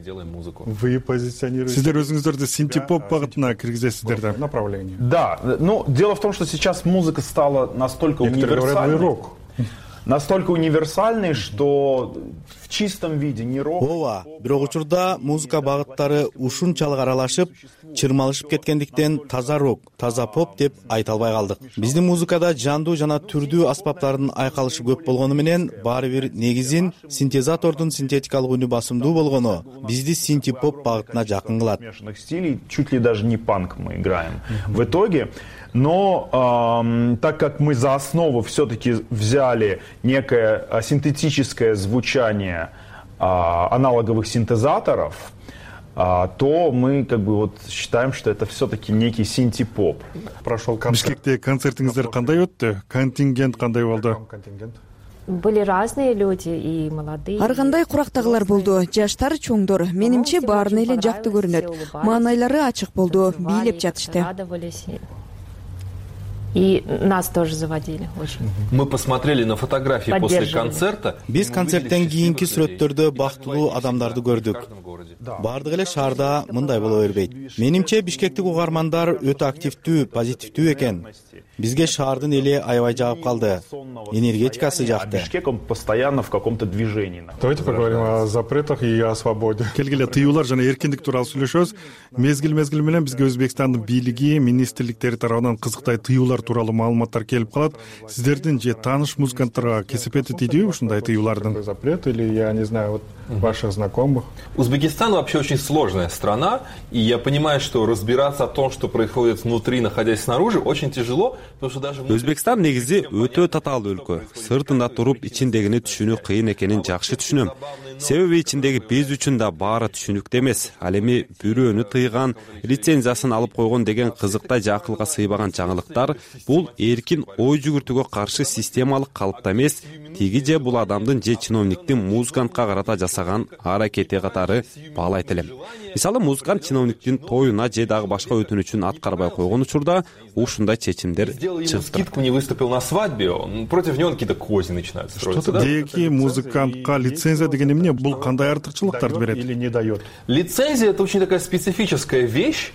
Вы позиционируете. Сиздер өзүңүздөрдү синтепоп багытына киргизесиздер да? Направление. Да, но дело в том, что сейчас музыка стала настолько универсальной. Настолько универсальный, что в чистом виде не рок. Ооба, бирок учурда музыка багыттары ушунчалык аралашып, чырмалышып кеткендиктен таза рок, таза поп деп айта албай калдык. Биздин музыкада жандуу жана түрдүү аспаптардын айкалышы көп болгону менен баары бир негизин синтезатордун синтетикалык үнү басымдуу болгону бизди синти-поп багытына жакын кылат. Стилей чуть ли даже не панк мы играем. В итоге, но так как мы за основу все-таки взяли некое синтетическое звучание аналоговых синтезаторов, то мы как бы вот считаем, что это все-таки некий синти-поп. Прошел концерт. Бишкекте концертиңиздер кандай өттү? Контингент кандай болду? Были разные люди и молодые. Ар кандай курактагылар болду, жаштар, чоңдор. Менимче баарына эле жакты көрүнөт. Маанайлары ачык болду, бийлеп жатышты. И нас тоже заводили очень. Мы посмотрели на фотографии после концерта. Биз концерттен кийинки сүрөттөрдө бактылуу адамдарды көрдүк. Бардык эле шаарда мындай боло бербейт. Менимче Бишкектик угармандар өтө активдүү, позитивдүү экен. Бизге шаардын эли аябай жагып калды. Энергетикасы жакты. Бишкек он постоянно в каком-то движении. Давайте поговорим о запретах и о свободе. Келгиле тыюулар жана эркиндик тууралуу сүйлөшөбүз. Мезгил менен бизге Өзбекстандын бийлиги, министрликтери тарабынан кызыктай тыюулар тууралуу маалыматтар келип калат. Сиздердин же тааныш музыканттарга кесепети тийдиби ушундай тыюулардын? Запрет или я не знаю, вот ваших знакомых? Узбекистан вообще очень сложная страна, и я понимаю, что разбираться о том, что происходит внутри, находясь снаружи, очень тяжело. Өзбекстан негизи өтө татаалуу өлкө. Сыртында туруп ичиндегини түшүнүү кыйын экенин жакшы түшүнөм. Себеби ичиндеги биз үчүн да баары түшүнүктүү эмес. Ал эми бирөөнү тыйган, лицензиясын алып койгон деген кызыктай же акылга сыйбаган жаңылыктар бул эркин ой жүгүртүүгө каршы системалык калыпта эмес, тиги же бул адамдын же чиновниктин музыкантка карата жасаган аракети катары баалайт элем. Мисалы, музыкант чиновниктин тоюна же дагы башка өтүнүчүн аткарбай койгон учурда ушундай чечимдер сделал скидку, не выступил на свадьбе, против него какие-то козни начинают строиться. Деяки музыкантка лицензия деген эмне? Бул кандай артыкчылыктарды берет или не дает? Лицензия — это очень такая специфическая вещь.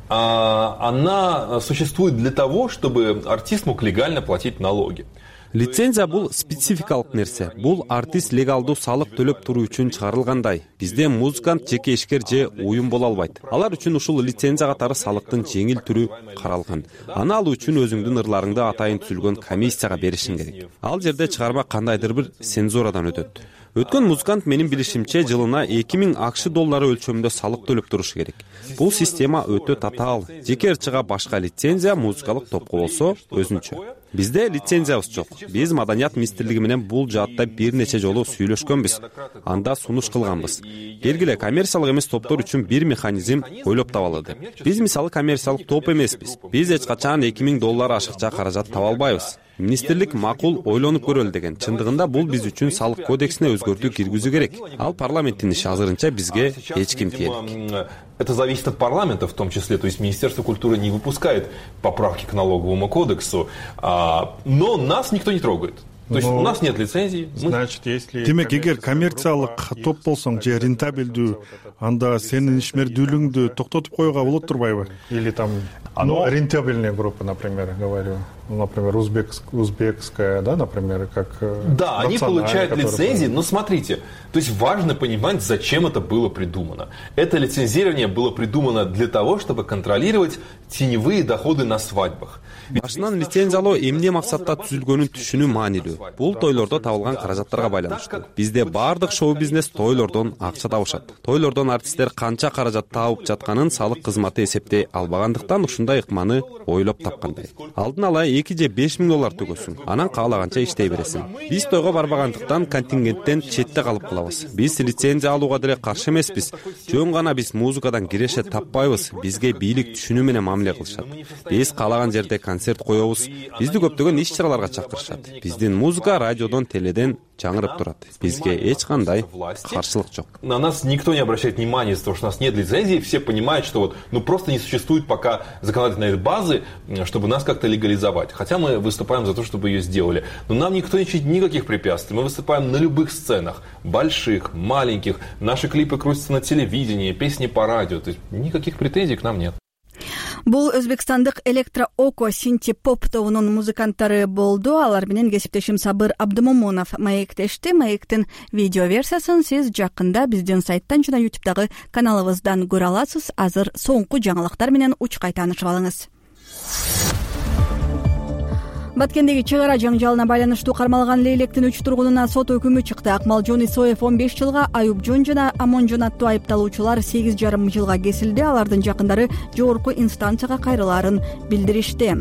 Она существует для того, чтобы артист мог легально платить налоги. Лицензия бул спецификалык нерсе. Бул артист легалдуу салык төлөп туруу үчүн чыгарылгандай. Бизде музыкант жеке ишкер же уюм боло албайт. Алар үчүн ушул лицензия катары салыктын жеңил түрү каралган. Аны алуу үчүн өзүңдүн ырларыңды атайын түзүлгөн комиссияга беришиң керек. Ал жерде чыгарма кандайдыр бир цензурадан өтөт. Өткөн музыкант менин билишимче жылына 2000 акш доллары өлчөмүндө салык төлөп турушу керек. Бул система өтө татаал. Жеке ырчыга башка лицензия, музыкалык топко болсо өзүнчө. Бизде лицензиябыз жок. Биз Маданият министрлиги менен бул жаатта бир нече жолу сүйлөшкөнбүз. Анда сунуш кылганбыз. Келгиле коммерциялык эмес топтор үчүн бир механизм ойлоп табалы деп. Биз мисалы коммерциялык топ эмеспиз. Биз эч качан 2000 доллар ашыкча каражат таба албайбыз. Министрлик макул ойлонуп көрөлү деген. Чындыгында бул биз үчүн салык кодексине өзгөртүү киргизүү керек. Ал парламенттин иши, азырынча бизге эч ким тиелик. Это зависит от парламента в том числе. То есть Министерство культуры не выпускает поправки к налоговому кодексу, но нас никто не трогает. То есть у нас нет лицензии. Значит, если... Демек, эгер коммерциялык топ болсоң же рентабелдүү, анда сенин ишмердүүлүгүңдү токтотуп коюуга болот турбайбы? Или там рентабельная группа, например, говорю. например, узбекская, да, например, как... Да, они получают лицензии, но смотрите, то есть важно понимать, зачем это было придумано. Это лицензирование было придумано для того, чтобы контролировать теневые доходы на свадьбах. Башынан лицензиялоо эмне максатта түзүлгөнүн түшүнүү маанилүү. Бул тойлордо табылган каражаттарга байланыштуу. Бизде баардык шоу-бизнес тойлордон акча табышат. Тойлордон артисттер канча каражат табып жатканын салык кызматы эсептей албагандыктан ушундай ыкманы ойлоп тапкандай. Алдын ала 2 же 5 миң доллар төгөсүң, анан каалаганча иштей бересиң. Биз тойго барбагандыктан контингенттен четте калып калабыз. Биз лицензия алууга деле каршы эмеспиз. Жөн гана биз музыкадан киреше таппайбыз. Бизге бийлик түшүнүү менен мамиле кылышат. Биз каалаган жерде концерт коебуз. Бизди көптөгөн иш-чараларга чакырышат. Биздин музыка радиодон, теледен жаңырып турат. Бизге эч кандай каршылык жок. На нас никто не обращает внимания из-за того, что у нас нет лицензии. Все понимают, что вот, просто не существует пока законодательной базы, чтобы нас как-то легализовать. Хотя мы выступаем за то, чтобы ее сделали. Но нам никто не чинит никаких препятствий. Мы выступаем на любых сценах. Больших, маленьких. Наши клипы крутятся на телевидении, песни по радио. То есть никаких претензий к нам нет. Бул өзбекстандык электро око синти поп тобунун музыканттары болду. Алар менен кесиптешим Сабыр Абдымомунов маектешти. Маектин видео версиясын сиз жакында биздин сайттан жана YouTube'дагы каналыбыздан көрө аласыз. Азыр соңку жаңылыктар менен учкай таанышып алыңыз. Баткендеги чыгара жаңжалына байланыштуу кармалган Лейлектин 3 тургунуна сот өкүмү чыкты. Акмалжон Исоев 15 жылга, Аюпжон жана Амонжон аттуу айыпталуучулар 8,5 жылга кесилди. Алардын жакындары жогорку инстанцияга кайрылаарын билдиришти.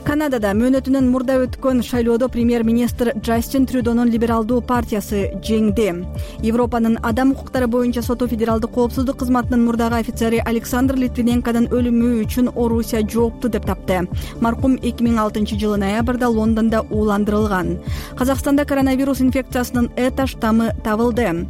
Канадада мөөнөтүнөн мурда өткөн шайлоодо премьер-министр Джастин Трюдонун либералдуу партиясы жеңди. Европанын адам укуктары боюнча соту федералдык коопсуздук кызматынын мурдагы офицери Александр Литвиненконун өлүмү үчүн Орусия жоопту деп тапты. Маркум 2006 жылы ноябрда Лондондо ууландырылган. Казакстанда коронавирус инфекциясынын эта штаммы табылды.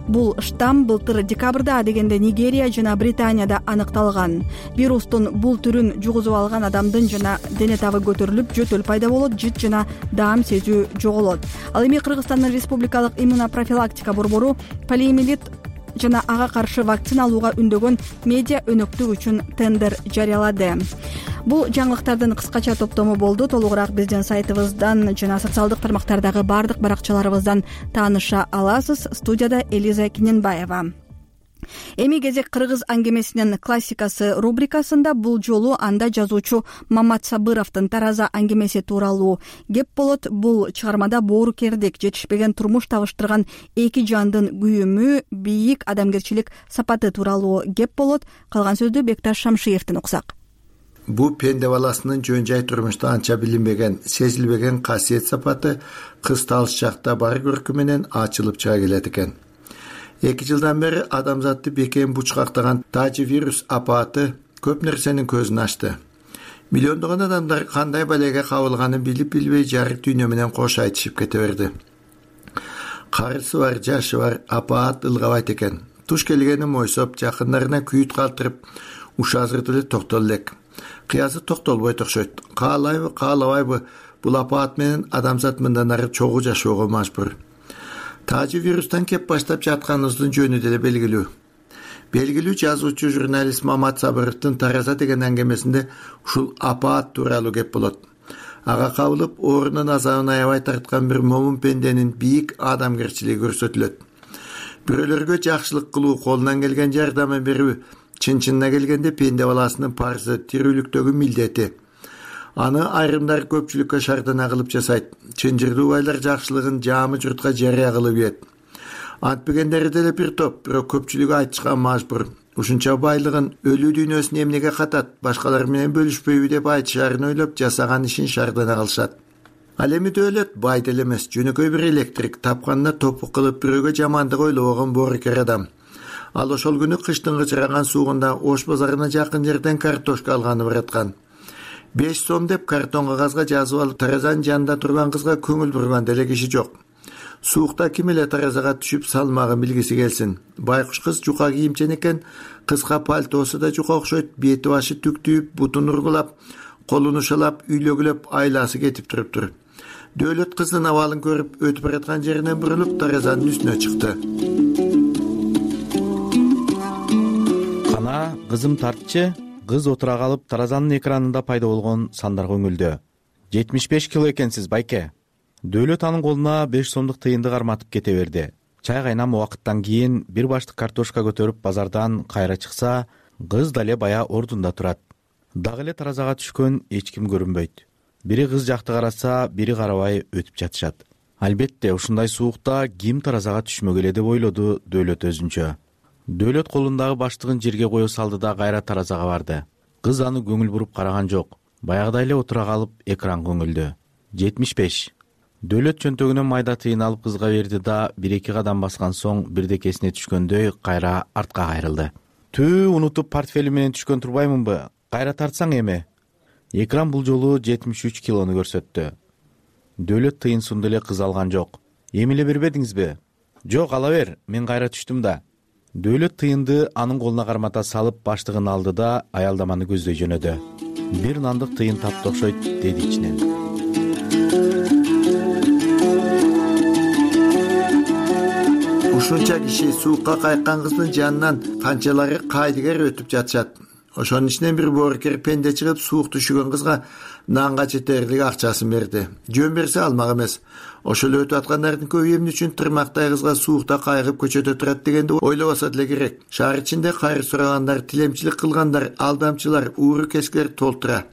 Бул штамм былтыр декабрда адегенде Нигерия жана Британияда аныкталган. Вирустун бул түрүн жугузуп алган адамдын жана дене табы көтөрүлүп, жөтөл пайда болот, жыт жана даам сезүү жоголот. Ал эми Кыргызстандын республикалык иммунопрофилактика борбору полиомиелит жана ага каршы вакцина алууга үндөгөн медиа өнөктүк үчүн тендер жарыялады. Бул жаңылыктардын кыскача топтому болду. Толугураак биздин сайтыбыздан жана социалдык тармактардагы бардык баракчаларыбыздан тааныша аласыз. Студияда Элиза Киненбаева. Эми кезек кыргыз аңгемесинин классикасы рубрикасында бул жолу анда жазуучу Мамат Сабыровдун Тараза аңгемеси тууралуу кеп болот. Бул чыгармада боорукердик, жетишпеген турмуш табыштырган эки жандын күйүмү, бийик адамгерчилик сапаты тууралуу кеп болот. Калган сөздү Бекташ Шамшиевден уксак. Бул пенде баласынын жөн жай турмушта анча билинбеген, сезилбеген касиет сапаты кыз талыш жакта бар көркү менен ачылып чыга келет экен. 2 жылдан бери адамзатты бекем бучкактаган тажи вирус апаты көп нерсенин көзүн ачты. Миллиондогон адамдар кандай балеге кабылганын билип-билбей жарык дүйнө менен кош айтышып кете берди. Карысы бар, жашы бар, апаат ылгабайт экен. Туш келгени мойсоп, жакындарына күйүт калтырып, ушазыр деле токтол элек. Кыязы токтолбойт окшойт. Каалайбы, каалабайбы, бул апаат менен адамзат мындан ары чогуу жашоого мажбур. Тажи вирустан кеп баштап жатканыбыздын жөнү деле белгилүү. Белгилүү жазуучу журналист Мамат Сабыровдун Тараза деген аңгемесинде ушул апаат тууралуу кеп болот. Ага кабылып, оорунун азабын аябай тарткан бир момун пенденин бийик адамгерчилиги көрсөтүлөт. Бирөөлөргө жакшылык кылуу, колунан келген жардамын берүү, чын-чынына келгенде пенде баласынын парзы, тирүүлүктөгү милдети. Аны айрымдар көпчүлүккө шардана кылып жасайт. Чынжырдуубайлар жакшылыгын жаамы журтка жарыя кылып ийет. Антпегендери деле бир топ, бирок көпчүлүгү айтышка мажбур. Ушунча байлыгын өлүү дүйнөсүн эмнеге катат, башкалар менен бөлүшпөйбү деп айтышаарын ойлоп, жасаган ишин шардана кылышат. Ал эми дөөлөт бай деле эмес, жөнөкөй бир электрик, тапканына топук кылып бирөөгө жамандык ойлобогон боорукер адам. Ал ошол күнү кыштын кычыраган суугунда Ош базарына жакын жерден картошка алганы бараткан. 5 сом деп картон кагазга жазып алып, Таразанын жанында турган кызга көңүл бурган деле киши жок. Суукта ким эле Таразага түшүп салмагын билгиси келсин. Байкуш кыз жука кийимчен экен, кыска пальтосу да жука окшойт, бети башы түктүйүп, бутун ургулап, колун ушалап, үйлөгүлөп айласы кетип туруптур. Дөөлөт кыздын абалын көрүп, өтүп бараткан жеринен бурулуп Таразанын үстүнө чыкты. Кызым тартчы, кыз отура калып Таразанын экранында пайда болгон сандарга өңүлдү. 75 кило экенсиз байке. Дөөлөт анын колуна 5 сомдук тыйынды карматып кете берди. Чай кайнам убакыттан кийин бир баштык картошка көтөрүп базардан кайра чыкса, кыз дале бая ордунда турат. Дагы эле таразага түшкөн эч ким көрүнбөйт. Бири кыз жакты караса, бири карабай өтүп жатышат. Албетте, ушундай суукта ким таразага түшмөгөлө деп ойлоду Дөөлөт өзүнчө. Дөөлөт колундагы баштыгын жерге кое салды да кайра таразага барды. Кыз аны көңүл буруп караган жок. Баягыдай эле отура калып экранга көңүлдү. 75. Дөөлөт чөнтөгүнөн майда тыйын алып кызга берди да 1-2 кадам баскан соң бирдек эсине түшкөндөй кайра артка кайрылды. Унутуп портфелим менен түшкөн турбаймынбы? Кайра тартсаң эми. Экран бул жолу 73 килону көрсөттү. Дөөлөт тыйын сунду эле кыз алган жок. Эми эле бербедиңизби? Жок, ала бер, мен кайра түштүм да. Дөөлөт тыйынды анын колуна кармата салып баштыгын алды да аялдаманы көздөй жөнөдү. Бир нандык тыйын тапты окшойт, деди ичинен. Ушунча киши суукка кайткан кыздын жанынан канчалары кайдыгер өтүп жатышат. Ошонун ичинен бир боорукер пенде чыгып суук түшүгөн кызга нанга жетерлик акчасын берди. Жөн берсе алмак эмес. Ошол өтүп аткандардын көбү эмне үчүн тырмактай кызга суукта кайгып көчөдө турат дегенди ойлобосо деле керек. Шаар ичинде кайыр сурагандар, тилемчилик кылгандар, алдамчылар, ууру кескилер толтура.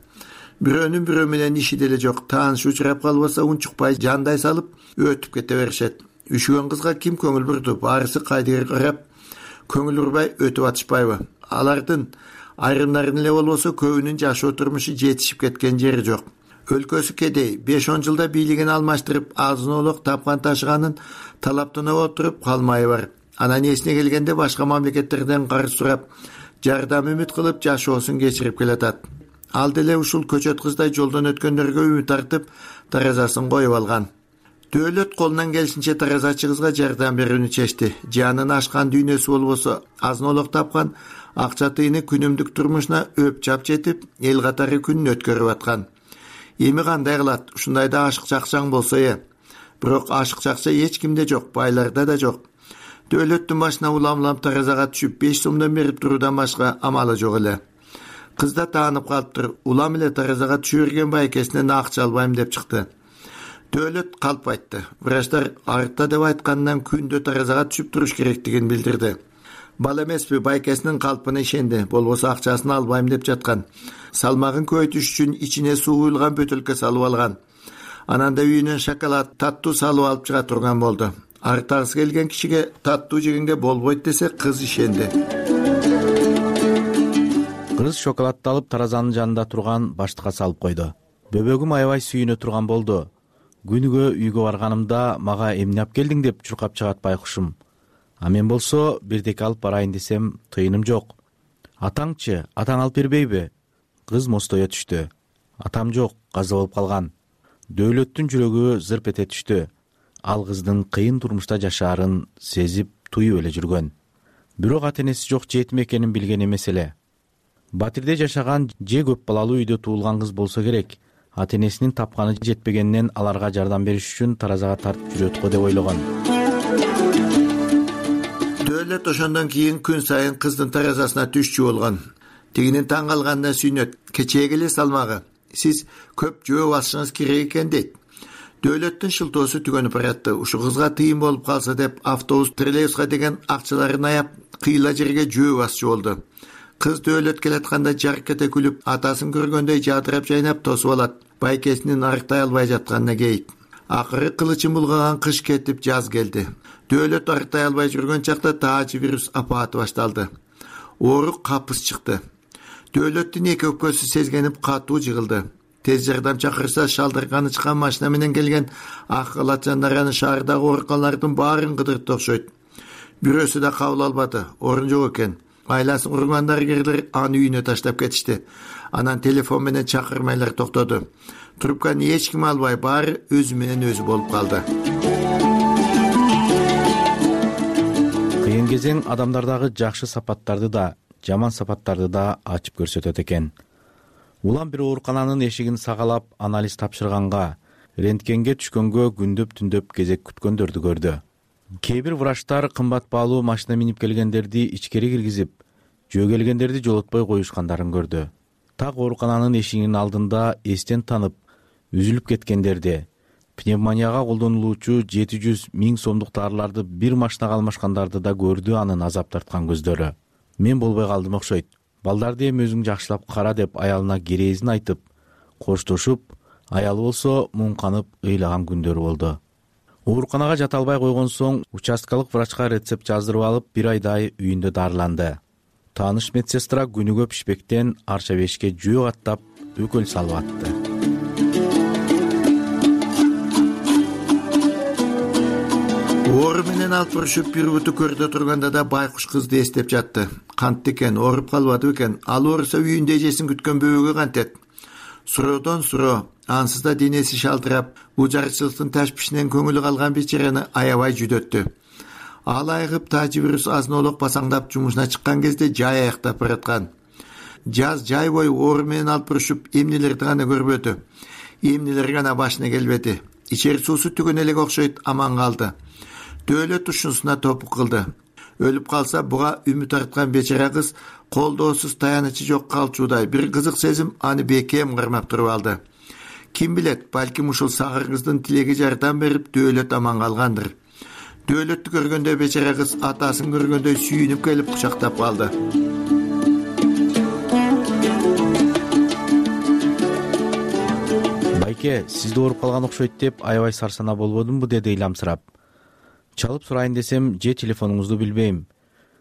Бирөөнүн бирөө менен иши деле жок. Тааныш учурап калбаса унчукпай жандай салып өтүп кете беришет. Үшүгөн кызга ким көңүл бурду? Баарысы кайдыгер карап, көңүл урбай өтүп атышпайбы? Алардын айрымдарын эле болбосо көбүнүн жашоо турмушу жетишип кеткен жери жок. Өлкөсү кедей, 5-10 жылда бийлигин алмаштырып, азын-олук тапкан ташыганын талаптана отуруп калмайы бар. Анан эсине келгенде башка мамлекеттерден карыз сурап, жардам үмүт кылып жашоосун кечирип келатат. Ал деле ушул көчөт кыздай жолдон өткөндөргө үмүт артып, таразасын коюп алган. Дөөлөт колунан келишинче таразачы кызга жардам берүүнү чечти. Жанын ашкан дүйнөсү болбосо, азын-олук тапкан акча тыйыны күнүмдүк турмушуна өп чап жетип, эл катары күнүн өткөрүп аткан. Эми кандай кылат? Ушундайда ашык чакчаң болсо Бирок ашык чакча эч кимде жок, байларда да жок. Дөөлөттүн башына улам-улам таразага түшүп 5 сомдон берип туруудан башка амалы жок эле. Кыз да таанып калыптыр. Улам эле таразага түшө берген байкесинен акча албайм деп чыкты. Дөөлөт калп айтты. Врачтар артта деп айткандан күндө таразага түшүп туруш керектигин билдирди. Бала эмеспи, байкесинин калпына ишенди. Болбосо акчасын албайм деп жаткан. Салмагын көбөйтүш үчүн ичине суу куюлган бөтөлкө салып алган. Анан да үйүнөн шоколад, таттуу салып алып чыга турган болду. Артагысы келген кишиге таттуу жегенге болбойт десе, кыз ишенди. Кыз шоколадты алып таразанын жанында турган баштыкка салып койду. Бөбөгүм аябай сүйүнө турган болду. Күнүгө үйгө барганымда мага эмне алып келдиң деп чуркап чыгат байкушум. А мен болсо бирдеке алып барайын десем тыйыным жок. Атаңчы, атаң алып бербейби? Кыз мостое түштү. Атам жок, каза болуп калган. Дөөлөттүн жүрөгү зырп эте түштү. Ал кыздын кыйын турмушта жашаарын сезип, туюп эле жүргөн. Бирок ата-энеси жок жетим экенин билген эмес эле. Батирде жашаган же көп балалуу үйдө туулган кыз болсо керек. Ата-энесинин тапканы жетпегенинен аларга жардам бериш үчүн таразага тартып жүрөт го деп ойлогон. Дөөлөт ошондон кийин күн сайын кыздын таразасына түшчү болгон. Тигинин таң калганына сүйнөт. Кечээге эле салмагы. Сиз көп жөө басышыңыз керек экен дейт. Дөөлөттүн шылтоосу түгөнүп баратты. Ушу кызга тыйын болуп калса деп автобус, троллейбуска деген акчаларын аяп, кыйла жерге жөө басчу болду. Кыз дөөлөт келатканда жарк эте күлүп, атасын көргөндөй жадырап жайнап тосуп алат. Байкесинин арыктай албай жатканына кейит. Акыры кылычын булгаган кыш кетип жаз келди. Дөөлөт арыктай албай жүргөн чакта таажы вирус апааты башталды. Оорук капыс чыкты. Дөөлөттүн эки өпкөсү сезгенип катуу жыгылды. Тез жардам чакырса шалдырганы чыккан машина менен келген ак калачандар аны шаардагы ооруканалардын баарын кыдыртты окшойт. Бирөөсү да кабыл албады, орун жок экен. Айласын урган дарыгерлер аны үйүнө таштап кетишти. Анан телефон менен чакырмайлар токтоду. Трубканы эч ким албай, баары өзү менен өзү болуп калды. Кыйын кезең адамдардагы жакшы сапаттарды да, жаман сапаттарды да ачып көрсөтөт экен. Улам бир оорукананын эшигин сагалап анализ тапшырганга, рентгенге түшкөнгө күндөп-түндөп кезек күткөндөрдү көрдү. Кээ бир врачтар кымбат баалуу машина минип келгендерди ичкери киргизип, жөө келгендерди жолотпой коюшкандарын көрдү. Так оорукананын эшигинин алдында эстен танып, үзүлүп кеткендерди, пневмонияга колдонулуучу 700 000 сомдук дарыларды бир машинага алмашкандарды да көрдү анын азап тарткан көздөрү. Мен болбой калдым окшойт. Балдарды эми өзүң жакшылап кара деп аялына керезин айтып, коштошуп, аялы болсо муңканып ыйлаган күндөрү болду. Ооруканага жата албай койгон соң участкалык врачка рецепт жаздырып алып, 1 айдай үйүндө дарыланды. Тааныш медсестра күнүгө пишпектен арча бешке жөө каттап, өкөл салып атты. Оору менен алып урушуп бир буту көрдө турганда да байкуш кызды эстеп жатты. Кантты экен, ооруп калбады экен? Ал ооруса үйүндө эжесин күткөн бөбөгө кантет? Суроодон суроо, ансыз да денеси шалтырап, бул жарычылыктын ташпишинен көңүлү калган бечараны аябай жүдөттү. Ал айыгып тажибирус азын-олок басаңдап жумушуна чыккан кезде жай аяктап бараткан. Жаз жай бою оору менен алып урушуп эмнелерди гана көрбөдү. Эмнелер гана башына келбеди. Ичер суусу түгөн элек окшойт, аман калды. Дөөлөт ушунусуна топук кылды. Өлүп калса буга үмүт арткан бечара кыз колдоосуз таянычы жок калчуудай бир кызык сезим аны бекем кармап туруп алды. Ким билет, балким ушул сагыр кыздын тилеги жардам берип дөөлөт аман калгандыр. Дөөлөттү көргөндө бечара кыз атасын көргөндөй сүйүнүп келип кучактап калды. Байке, сизди ооруп калган окшойт деп аябай сарсана болбодумбу, деди ыйламсырап. Чалып сурайын десем, же телефонуңузду билбейм.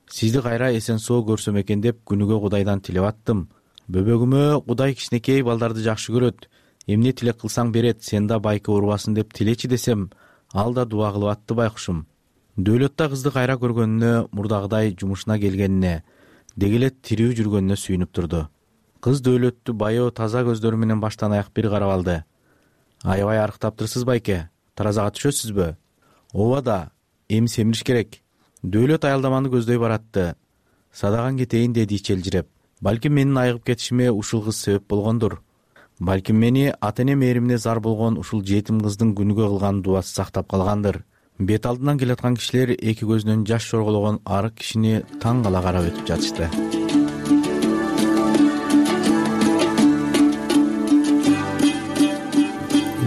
Сизди кайра эсен соо көрсөм экен деп күнүгө Кудайдан тилеп аттым. Бөбөгүмө Кудай кичинекей балдарды жакшы көрөт. Эмне тилек кылсаң берет, сен да байке оорубасын деп тилечи десем, ал да дуа кылып атты байкушум. Дөөлөттө кызды кайра көргөнүнө, мурдагыдай жумушуна келгенине, дегеле тирүү жүргөнүнө сүйүнүп турду. Кыз дөөлөттү байоо таза көздөрү менен баштан аяк бир карап алды. Аябай арыктаптырсыз байке, таразага түшөсүзбү? Ооба да, эми семириш керек. Дөөлөт аялдаманы көздөй баратты. Садаган кетейин деди ичелжиреп. Балким менин айыгып кетишиме ушул кыз себеп болгондур. Балким мени ата-эне мээримине зар болгон ушул жетим кыздын күнүгө кылган дуасы сактап калгандыр. Бет алдынан келаткан кишилер эки көзүнөн жаш чоргологон арык кишини таң кала карап өтүп жатышты.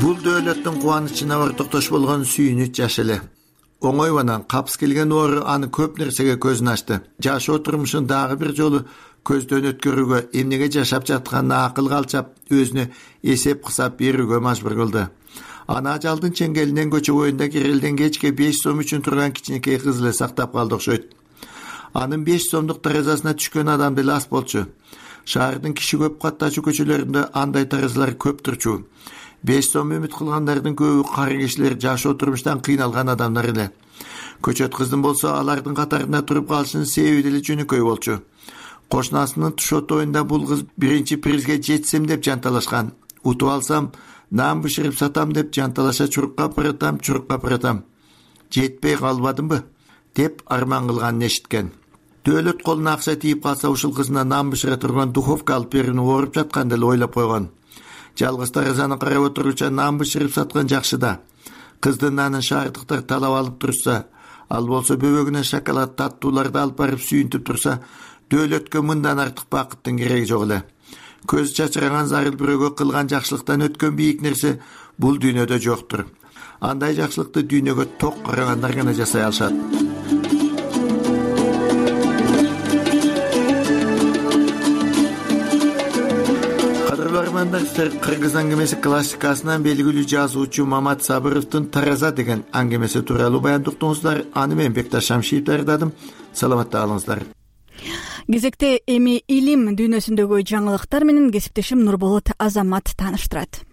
Бул дөөлөттүн кубанычына ортоктош болгон сүйүнүч жаш эле. Оңойбанан капс келген оору аны көп нерсеге көзүн ачты. Жашоо турмушун дагы бир жолу көздөн өткөрүүгө, эмнеге жашап жатканына акыл калчап, өзүнө эсеп кысап берүүгө мажбур кылды. Ана ажалдын чеңгелинен көчө боюнда кирелден кечке 5 сом үчүн турган кичинекей кыз эле сактап калды окшойт. Анын 5 сомдук таразасына түшкөн адам деле аз болчу. Шаардын киши көп каттачу көчөлөрүндө андай таразалар көп турчу. 5 сом үмүт кылгандардын көбү кары кишилер, жашоо турмуштан кыйналган адамдар эле. Көчөт кыздын болсо алардын катарында туруп калышынын себеби деле жөнөкөй болчу. Кошунасынын тушот оюнда бул кыз биринчи призге жетсем деп жанталашкан. Утуп алсам, нан бышырып сатам деп жанталаша чурукка апаратам. Жетпей калбадымбы деп арман кылганын эшиткен. Дөөлөт колуна акча тийип калса ушул кызына нан бышыра турган духовка алып берүүнү ооруп жаткан деле ойлоп койгон. Жалгыз таразаны карап отуруча нан бышырып саткан жакшы да. Кыздын нанын шаардыктар талап алып турса, ал болсо бөбөгүнө шоколад таттууларды алып барып сүйүнтүп турса, дөөлөткө мындан артык бакыттын кереги жок эле. Көз чачыраган зарыл бирөөгө кылган жакшылыктан өткөн бийик нерсе бул дүйнөдө жоктур. Андай жакшылыкты дүйнөгө ток карагандар гана жасай алышат. Кыргыз аңгемеси классикасынан белгилүү жазуучу Мамат Сабыровдун Тараза деген аңгемеси тууралуу баяндуктуңуздар. Аны мен Бекташ Шамшиев даярдадым. Саламатта калыңыздар. Кезекте эми илим дүйнөсүндөгү жаңылыктар менен кесиптешим Нурболот Азамат тааныштырат.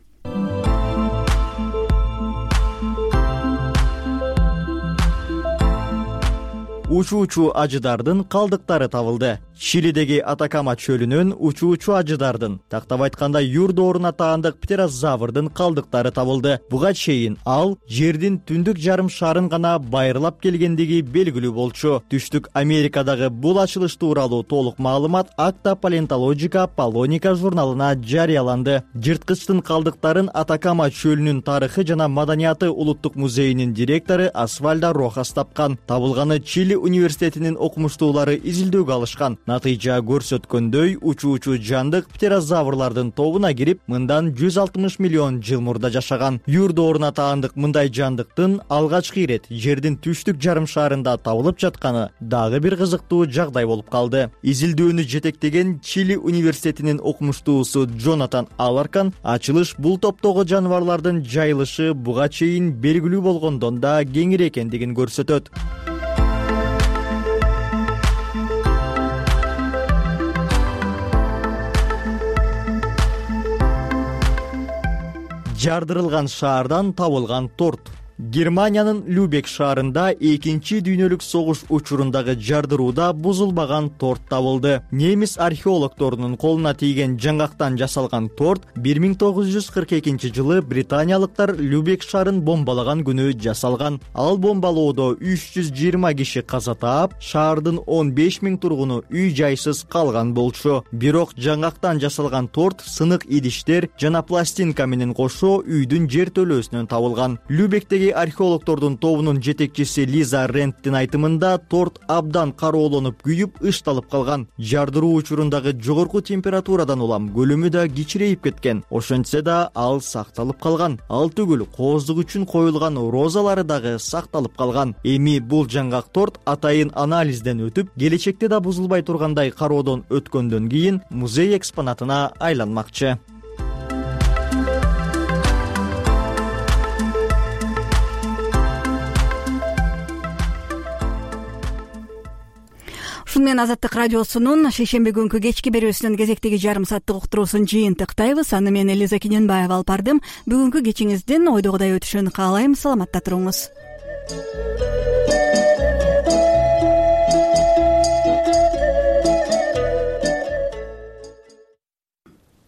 Учуучу ажыдардын калдыктары табылды. Чилидеги Атакама чөлүнөн учуучу ажыдардын, тактап айтканда юр дооруна таандык птерозаврдын калдыктары табылды. Буга чейин ал жердин түндүк жарым шарын гана байырлап келгендиги белгилүү болчу. Түштүк Америкадагы бул ачылыш тууралуу толук маалымат Acta Paleontologica Polonica журналына жарыяланды. Жырткычтын калдыктарын Атакама чөлүнүн тарыхы жана маданияты улуттук музейинин директору Асвальдо Рохас тапкан. Табылганы Чили университетинин окумуштуулары изилдөөгө алышкан. Натыйжа көрсөткөндөй учуучу жандык птерозаврлардын тобуна кирип, мындан 160 миллион жыл мурда жашаган. Юр дооруна таандык мындай жандыктын алгачкы ирет жердин түштүк жарым шарында табылып жатканы дагы бир кызыктуу жагдай болуп калды. Изилдөөнү жетектеген Чили университетинин окумуштуусу Джонатан Аларкан ачылыш бул топтогу жаныбарлардын жайылышы буга чейин белгилүү болгондон да кеңири экендигин көрсөтөт. Жардырылган шаардан табылган торт. Германиянын Любек шаарында 2-чи дүйнөлүк согуш учурундагы жардырууда бузулбаган торт табылды. Немис археологторунун колуна тийген жаңгактан жасалган торт 1942 жылы британиялыктар Любек шаарын бомбалаган күнү жасалган. Ал бомбалоодо 320 киши каза таап, шаардын 15 000 тургуну үй жайсыз калган болчу. Бирок жаңгактан жасалган торт сынык идиштер жана пластинка менен кошо үйдүн жертөлөөсүнөн табылган. Любектеги археологтордун тобунун жетекчиси Лиза Ренттин айтымында торт абдан кароолонуп күйүп ышталып калган. Жардыруу учурундагы жогорку температурадан улам көлөмү да кичирейип кеткен. Ошентсе да ал сакталып калган. Ал түгүл, кооздук үчүн коюлган розалары дагы сакталып калган. Эми бул жаңгак торт атайын анализден өтүп, келечекте да бузулбай тургандай кароодон өткөндөн кийин музей экспонатына айланмакчы. Ушун менен Азаттык радиосунун шейшемби күнкү кечки берүүсүнүн кезектеги жарым сааттык уктуруусун жыйынтыктайбыз. Аны мен Элиза Кененбаева алып бардым. Бүгүнкү кечиңиздин ойдогудай өтүшүн каалайм. Саламатта туруңуз.